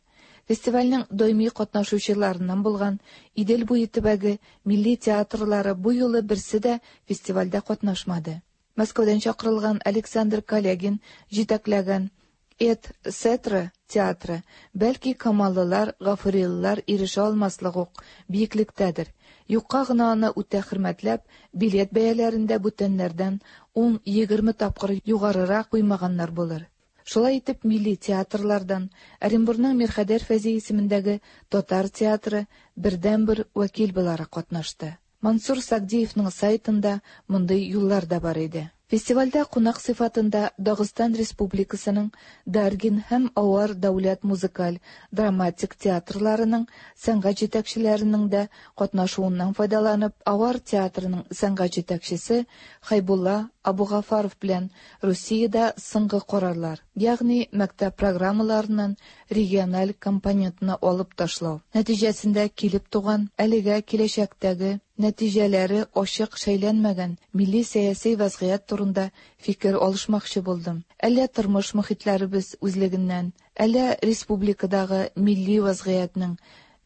Фестивальнең даими катнашучыларыннан булган Идел буе төбәге милли театрлары бу юлы берсе дә фестивальдә катнашмады. Мәскәүдән чакырылган Александр Калягин җитәкләгән Эт Сетра театры, бәлки камаллылар, гафурилылар ирешә алмаслык ук биеклектәдер. Юкка гына аны үтә хөрмәтләп, билет бәяләрендә бүтәннәрдән ун-егерме тапкыр югарырак куймаганнар булыр. Шулай итеп, милли театрлардан Оренбурның Мирхәдәр Фәйзи исемендәге татар театры бердәнбер вәкил буларак катнашты. Мансур Сагдиевның сайтында мондый юллар да бар иде. Фестивальдә кунак сыйфатында Дагыстан Республикасының Даргин һәм Авар дәүләт музыкаль драматик театрларының сәнгать җитәкчеләренең дә катнашуыннан файдаланып, Авар театрының сәнгать җитәкчесе Хайбулла Абугафаров белән Русиядә соңгы карарлар, ягъни мәктәп программаларыннан региональ компонентны алып ташлау нәтиҗәсендә килеп туган әлегә киләчәктәге нәтиҗәләре ачык шәйләнмәгән милли сәяси вазгыять турында фикер алышмакчы булдым. Әллә тормыш мөхитләребез үзлегеннән, әллә республикадагы милли вазгыятьнең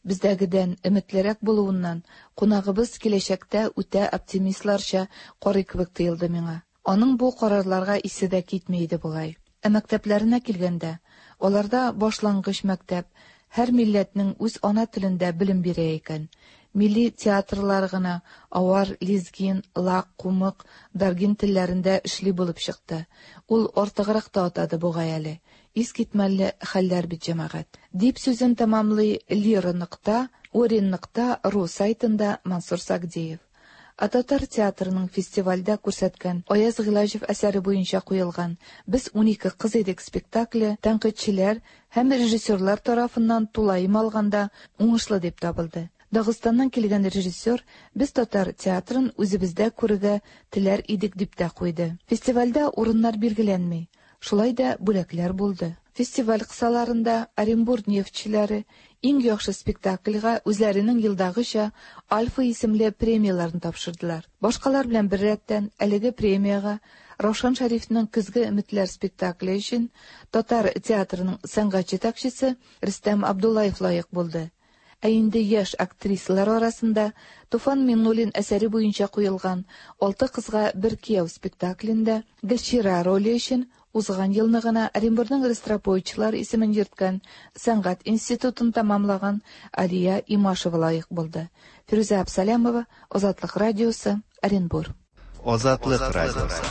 бездәгедән өметлерәк булуыннан кунагыбыз киләчәктә үтә оптимистларча карый кебек тоелды миңа. Аның бу карарларга исе дә китми иде бугай. Ә мәктәпләренә килгәндә, аларда башлангыч мәктәп һәр милләтнең үз ана телендә белем бирә икән. Милли театрлар гына авар, лезгин, лак, кумык, даргин телләрендә эшли булып чыкты. Ул артыграк та атады бугай әле. Искитмәле хәлләр бит, җәмәгать. Дип сүзен тәмамлый Лира нокта Орин нокта ру сайтында Мансур Сагдиев. Ә татар театрының фестивальдә күрсәткән Аяз Гыйлаҗев әсәре буенча куелган «Без унике кыз идек» спектакле тәнкыйтьчеләр һәм режиссерлар тарафыннан тулаем алганда уңышлы дип табылды. Дагыстаннан килгән режиссер «Без татар театрын үзебездә күрергә теләр идек» дип тә куйды. Фестивальдә урыннар билгеләнми, шулай да бүләкләр булды. Фестиваль кысаларында Оренбург нефтьчеләре иң яхшы спектакльгә үзләренең елдагыча Альфа исемле премияләрен тапшырдылар. Башкалар белән беррәттән әлеге премиягә Раушан Шәрифнең Көзге өметләр спектакле өчен татар театрының сәнгать җитәкчесе Рөстәм Абдуллаев лаек булды. Ә инде яшь актрисалар арасында Туфан Миңнуллин әсәре буенча куелган «Алты кызга бер кияү» спектаклендә Гөлчирә роле өчен узган елны гына Оренбургның Ростроповичлар исемен йөрткән сәнгать институтын тәмамлаган Алия Имашева лаек булды. Фирүзә Әбсәләмова, Азатлык радиосы, Оренбург. Азатлык радиосы.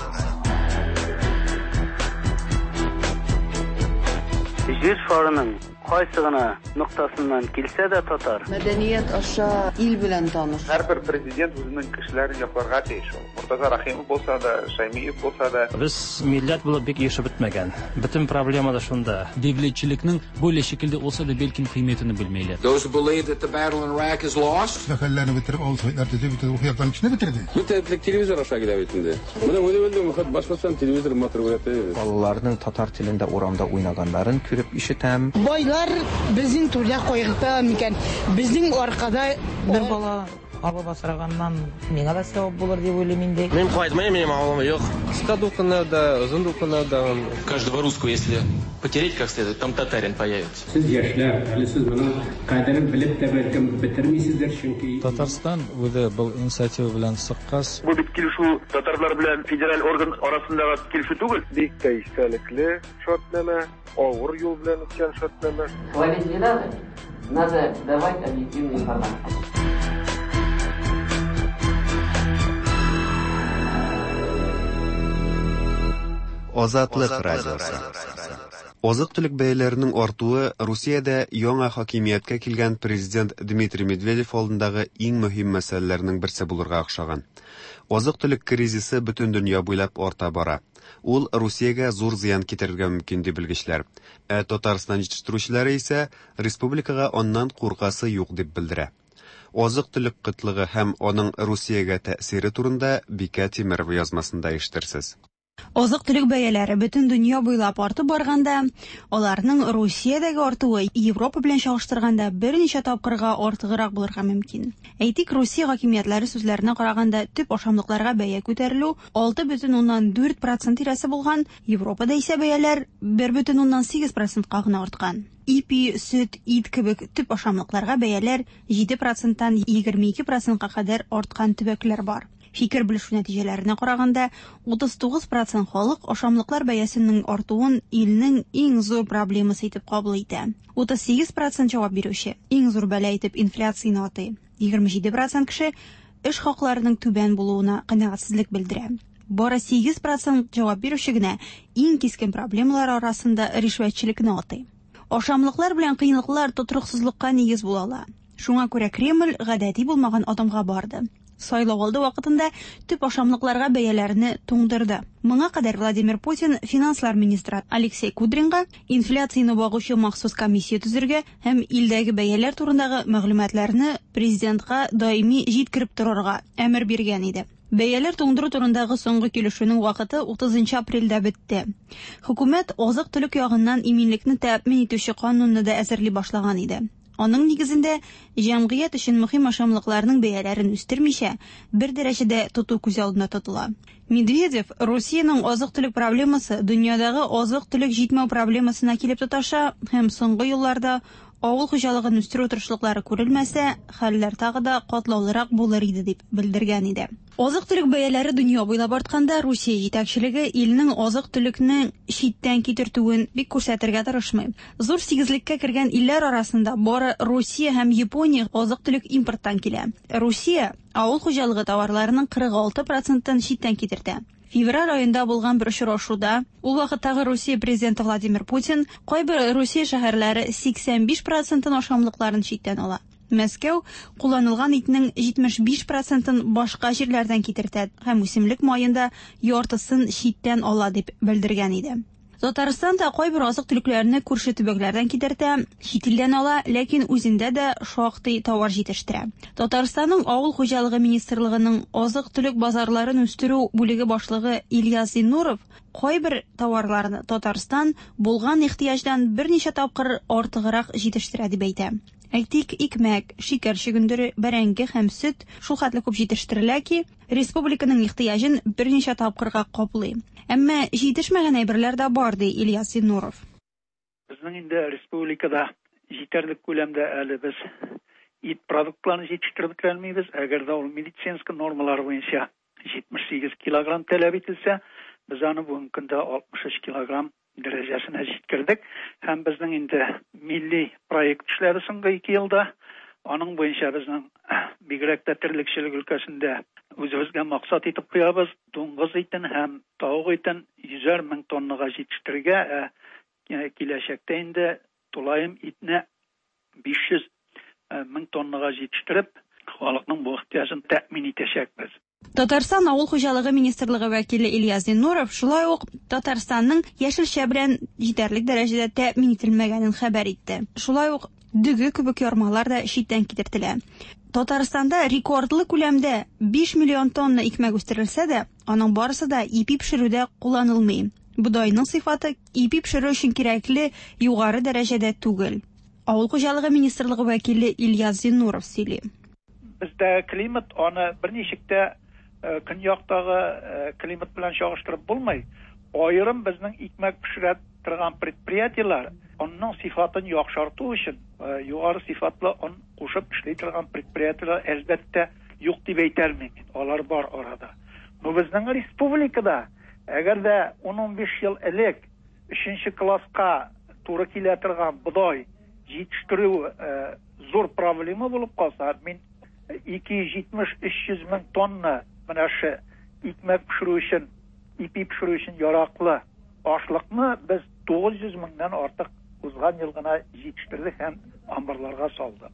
Җир шарының Кайсы гына ноктасыннан килсә дә татар. Мәдәният аша ил белән таныш. Һәрбер президент үзенең кешеләрен якларга тиеш ул. Мортаза Рәхимов булса да, Шаймиев булса да. Без милләт булып бик ирешеп бетмәгән. Бөтен проблема да шунда. Devletçilikning böyle şekilde olsa da belki kıymetini bilmeyler. Those who believe that the battle in Iraq is lost. Хәлләрне бетереп, авыл советлар төзеп, бөтен рухи яктан кешене бетерде. Бөтен телевизор аша килә бит инде. Менә үлеп Башкортстан телевизор матур күрәтә. Балаларның татар телендә урамда уйнаганнарын күреп ишетәм. Байлар безнең түрдә кайгырта микән? Безнең аркада бер бала алып асраганнан миңа да савап булыр дип уйлыйм инде. Мин кайтмыйм, минем авылым юк. Кыска дулкыннарда, озын дулкыннарда. Каждого русского, если потереть как следует, там татарин появится. Сез яшьләр, әле сез моның кадерен белеп тә бәлкем бетермисездер, чөнки Татарстан үзе был инициатива белән чыккач. Бу бит килешү татарлар белән федераль орган арасындагы килешү түгел. Бик тә истәлекле шартнамә, авыр юл белән үткән шартнамә. Хвалить не надо, надо давать объективную информацию. Азатлык радиосы. Азык-төлек бәяләренең артуы Русиядә яңа хакимияткә килгән президент Дмитрий Медведев алдындагы иң мөһим мәсьәләләрнең берсе булырга охшаган. Азык-төлек кризисы бөтен дөнья буйлап арта бара. Ул Русиягә зур зыян китерергә мөмкин ди белгечләр. Ә Татарстан җитештерүчеләре исә республикага аннан куркасы юк дип белдерә. Азык-төлек кытлыгы һәм аның Русиягә тәэсире турында Бикә Тимерова язмасында ишетерсез. Азык-төлек бәяләре бөтен дөнья буйлап артып барганда, аларның Русиядәге артуы Европа белән чагыштырганда берничә тапкырга артыграк булырга мөмкин. Әйтик, Русия хакимиятләре сүзләренә караганда, төп ашамлыкларга бәя күтәрелү алты бөтен уннан дүрт процент тирәсе булган, Европада исә бәяләр бер бөтен уннан сигез процентка гына арткан. Ипи, сөт, ит кебек төп ашамлыкларга бәяләр җиде проценттан егерме ике процентка кадәр арткан төбәкләр бар. Фикер белешү нәтиҗәләренә караганда, утыз тугыз процент халык ашамлыклар бәясенең артуын илнең иң зур проблемасы итеп кабул итә. утыз сигез процент җавап бирүче иң зур бәла итеп инфляцияне атый. егерме җиде процент кеше эш хакларының түбән булуына канәгатьсезлек белдерә. Бары сигез процент җавап бирүче генә иң кискен проблемалар арасында ришвәтчелекне атый. Ашамлыклар белән кыенлыклар тотрыксызлыкка нигез була ала. Шуңа күрә Кремль гадәти булмаган адымга барды. Сайлау алды вакытында төп ашамлыкларга бәяләрне туңдырды. Моңа кадәр Владимир Путин финанслар министры Алексей Кудринга инфляцияне багучы махсус комиссия төзергә һәм илдәге бәяләр турындагы мәгълүматларны президентка даими җиткереп торырга әмер биргән иде. Бәяләр туңдыру турындагы соңгы килешүнең вакыты утызынчы апрельдә бетте. Хөкүмәт азык-төлек ягыннан иминлекне тәэмин итүче канунны да әзерли башлаган иде. Аның нигезендә җәмгыять өчен мөһим ашамлыкларның бәяләрен үстермичә, бер дәрәҗәдә тоту күз алдына тотыла. Медведев Русиянең азык-төлек проблемасы дөньядагы азык-төлек җитмәү проблемасына килеп тоташа һәм соңгы елларда авыл хуҗалыгын үстерү тырышлыклары күрелмәсә, хәлләр тагы да катлаулырак булыр иде дип белдергән иде. Азык-төлек бәяләре дөнья буйлап артканда, Русия җитәкчелеге илнең азык-төлекне читтән китертүен бик күрсәтергә тырышмый. Зур сигезлеккә кергән илләр арасында бары Русия һәм Япония азык-төлек импорттан килә. Русия авыл хуҗалыгы товарларының кырык алты процентын читтән китертә. Февраль аенда булган бер очрашуда ул вакыттагы Русия президенты Владимир Путин кайбер Русия шәһәрләре сиксән биш процентын ашамлыкларын читтән ала. Мәскәү кулланылган итнең җитмеш биш процентын башка җирләрдән китертә һәм үсемлек маенда яртысын читтән ала дип белдергән иде. Татарстан да кайбер азык-төлекләрне күрше төбәкләрдән китертә, чит илдән ала, ләкин үзендә дә шактый товар җитештерә. Татарстанның Авыл хуҗалыгы министрлыгының азык-төлек базарларын үстерү бүлеге башлыгы Ильяс Зиннуров кайбер товарларны Татарстан булган ихтыяҗдан берничә тапкыр артыграк җитештерә дип әйтә. Әйтик, икмәк, шикәр чөгендере, бәрәңге һәм сөт шул хәтле күп җитештерелә ки, республиканың ихтыяҗын берничә тапкырга каплый. Әмма җитешмәгән әйберләр дә бар, ди Ильяс Зиннуров. Безнең инде республикада җитәрлек күләмдә әле без ит продуктларын җитештереп бетерә алмыйбыз. Әгәр дә ул медицинский нормалар буенча җитмеш сигез килограмм таләп ителсә, без аны бүгенге көндә алтмыш өч килограмм дәрәҗәсенә җиткердек. Һәм безнең инде милли проект эшләре соңгы ике елда. Аның буенча безнең бигрәк тә терлекчелек өлкәсендә үзебезгә максат итеп куябыз. Дуңгыз итен һәм тавык итен йөзәр мең тоннага җитештерергә, ә киләчәктә инде Тулаем итне биш йөз мең тоннага җитештереп, халыкның бу ихтыяҗын тәэмин итәчәкбез. Татарстан Авыл хуҗалыгы министрлыгы вәкиле Ильяс Зиннуров шулай ук Татарстанның яшелчә белән җитәрлек дәрәҗәдә тәэмин ителмәгәнен хәбәр итте. Шулай ук дөге кебек ярмалар да читтән китертелә. Татарстанда рекордлы күләмдә биш миллион тонна икмәк үстерелсә дә, аның барысы да ипи пешерүдә кулланылмый. Бодайның сыйфаты ипи пешерү өчен кирәкле югары дәрәҗәдә түгел. Авыл хуҗалыгы министрлыгы вәкиле Ильяс Зиннуров сөйли. Бездә климат аны берничек тә көньяктагы климат белән чагыштырып булмый. Аерым безнең икмәк пешерә торган предприятиеләр онның сыйфатын яхшырту өчен югары сыйфатлы он кушып эшли торган предприятиеләр әлбәттә юк дип әйтә алмыйм. Алар бар арада. Но безнең республикада әгәр дә ун-унбиш ел элек өченче класска туры килә торган бодай җитештерү зур проблема булып калса, мин ике йөз җитмеш өч йөз мең тонна менә шу икмәк пешерү өчен, ипи пешерү өчен яраклы ашлыкны без тугыз йөз меңнән артык узган ел гына җитештердек һәм амбарларга салдык.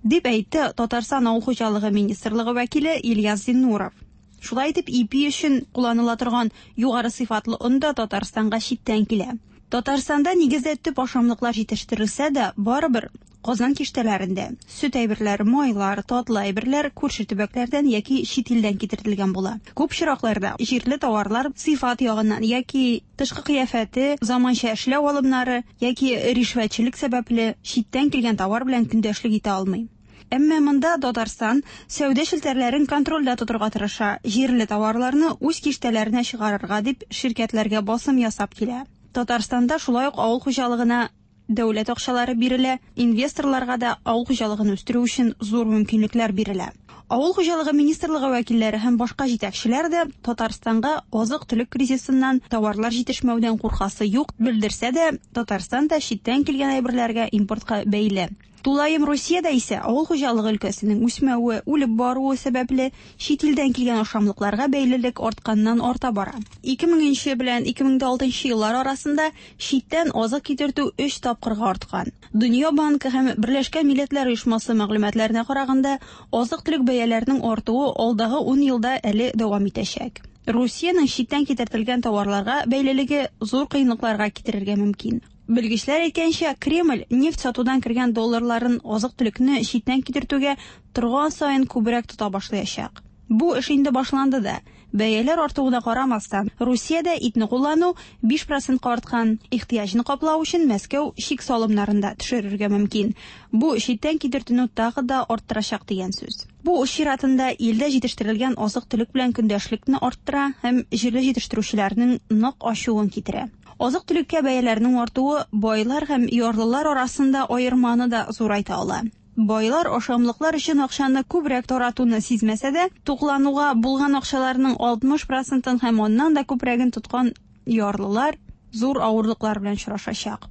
Дип әйтте Татарстан Авыл хуҗалыгы министрлыгы вәкиле Ильяс Зиннуров. Шулай итеп, ипи өчен кулланыла торган югары сыйфатлы он да Татарстанга читтән килә. Татарстанда нигездә төп ашамлыклар җитештерелсә дә, барыбер Казан киштәләрендә сөт әйберләре, майлар, татлы әйберләр күрше төбәкләрдән яки чит илдән китерелгән була. Күп очракларда җирле товарлар сыйфат ягыннан яки тышкы кыяфәте, заманча эшләү алымнары яки ришвәтчелек сәбәпле читтән килгән товар белән көндәшлек итә алмый. Әмма монда Татарстан сәүдә челтәрләрен контрольдә тотырга тырыша, җирле товарларны үз киштәләренә чыгарырга дип ширкәтләргә басым ясап килә. Татарстанда шулай ук авыл хуҗалыгына дәүләт акчалары бирелә, инвесторларга да авыл хуҗалыгын үстерү өчен зур мөмкинлекләр бирелә. Авыл хуҗалыгы министрлыгы вәкилләре һәм башка җитәкчеләр дә Татарстанга азык-төлек кризисыннан товарлар җитешмәүдән куркасы юк белдерсә дә, Татарстан да читтән килгән әйберләргә импортка бәйле. Тулаем Русиядә исә авыл хуҗалыгы өлкәсенең үсмәве, үлеп баруы сәбәпле чит илдән килгән ашамлыкларга бәйлелек артканнан арта бара. ике меңенче белән ике мең алтынчы еллар арасында читтән азык китертү өч тапкырга арткан. Дөнья банкы һәм Берләшкән Милләтләр Оешмасы мәгълүматларына караганда, азык-төлек бәяләренең артуы алдагы ун елда әле дәвам итәчәк. Русиянең читтән китертелгән товарларга бәйлелеге зур кыенлыкларга китерергә мөмкин. Белгечләр әйткәнчә, Кремль нефть сатудан кергән долларларын азык-төлекне читтән китертүгә торган саен күбрәк тота башлаячак. Бу эш инде башланды да. Бәяләр артуына карамастан, Русиядә итне куллану биш процентка арткан. Ихтыяҗны каплау өчен Мәскәү чик салымнарын да төшерергә мөмкин. Бу читтән китертүне тагы да арттырачак дигән сүз. Бу үз чиратында илдә җитештерелгән азык-төлек белән көндәшлекне арттыра һәм җирле җитештерүчеләрнең нык ачуын китерә. Азык-төлеккә бәяләрнең артуы байлар һәм ярлылар арасында аерманы да зурайта ала. Байлар ашамлыклар өчен акчаны күбрәк таратуны сизмәсә дә, туклануга булган акчаларның алтмыш процентын һәм аннан да күбрәген тоткан ярлылар зур авырлыклар белән очрашачак.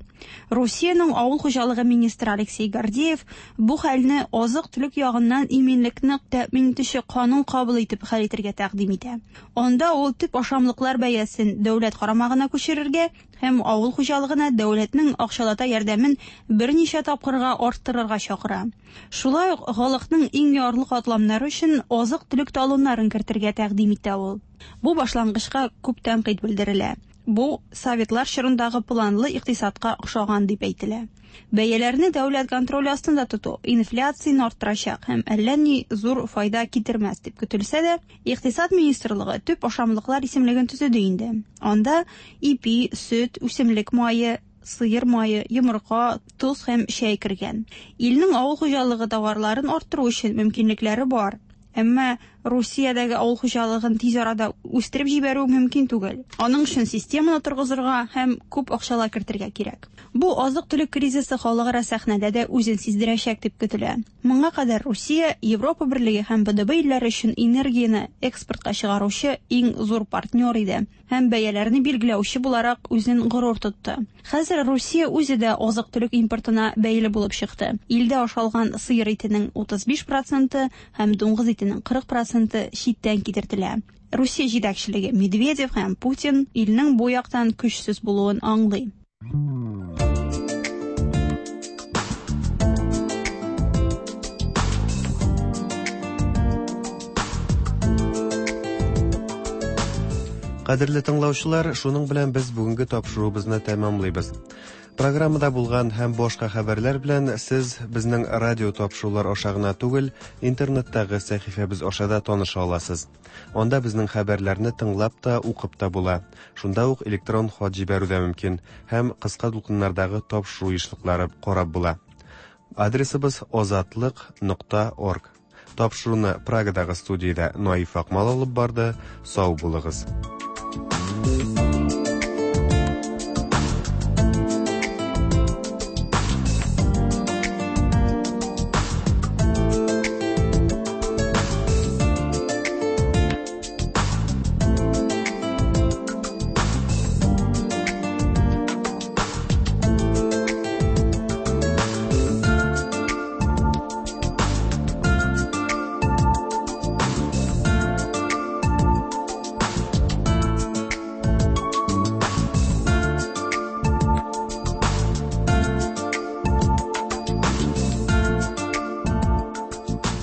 Русиянең авыл хуҗалыгы министры Алексей Гордеев бу хәлне азык-төлек ягыннан иминлекне тәэмин итүче канун кабул итеп хәл итәргә тәкъдим итә. Анда ул төп ашамлыклар бәясен дәүләт карамагына күчерергә һәм авыл хуҗалыгына дәүләтнең акчалата ярдәмен берничә тапкырга арттырырга чакыра. Шулай ук халыкның иң ярлы катламнары өчен азык-төлек талоннарын кертергә тәкъдим итә ул. Бу башлангычка күп тәнкыйть белдерелә. Бу советлар чорындагы планлы икътисадка охшаган дип әйтелә. Бәяләрне дәүләт контроле астында тоту инфляцияне арттырачак һәм әллә ни зур файда китермәс дип көтелсә дә, Икътисад министрлыгы төп ашамлыклар исемлеген төзеде инде. Анда ипи, сөт, үсемлек мае, сыер мае, йомырка, тоз һәм чәй кергән. Илнең авыл хуҗалыгы товарларын арттыру өчен мөмкинлекләре бар. Әмма Русиядәге авыл хуҗалыгын тиз арада үстереп җибәрү мөмкин түгел. Аның өчен системаны торгызырга һәм күп акчалар кертергә кирәк. Бу азык-төлек кризисы халыкара сәхнәдә дә үзен сиздерәчәк дип көтелә. Моңа кадәр Русия Европа Берлеге һәм Б Д Б илләре өчен энергияне экспортка чыгаручы иң зур партнер иде һәм бәяләрне билгеләүче буларак үзен горур тотты. Хәзер Русия үзе дә азык-төлек импортына бәйле булып чыкты. Илдә ашалган сыер итенең утыз биш проценты һәм дуңгыз итенең кырык проценты читтән китертелә. Русия җитәкчелеге Медведев һәм Путин илнең бу яктан көчсез булуын аңлый. Кадерле тыңлаучылар, шуның белән без бүгенге тапшыруыбызны тәмамлыйбыз. Программада булган һәм башка хәбәрләр белән сез безнең радио тапшырулар аша гына түгел, интернеттагы сәхифәбез аша да таныша аласыз. Анда безнең хәбәрләрне тыңлап та, укып та була. Шунда ук электрон хат җибәрү дә мөмкин һәм кыска дулкыннардагы тапшыру ешлыклары карап була. Адресыбыз озатлык нокта орг. Тапшыруны Прагадагы студиядә Наиф Акмал алып барды. Сау булыгыз.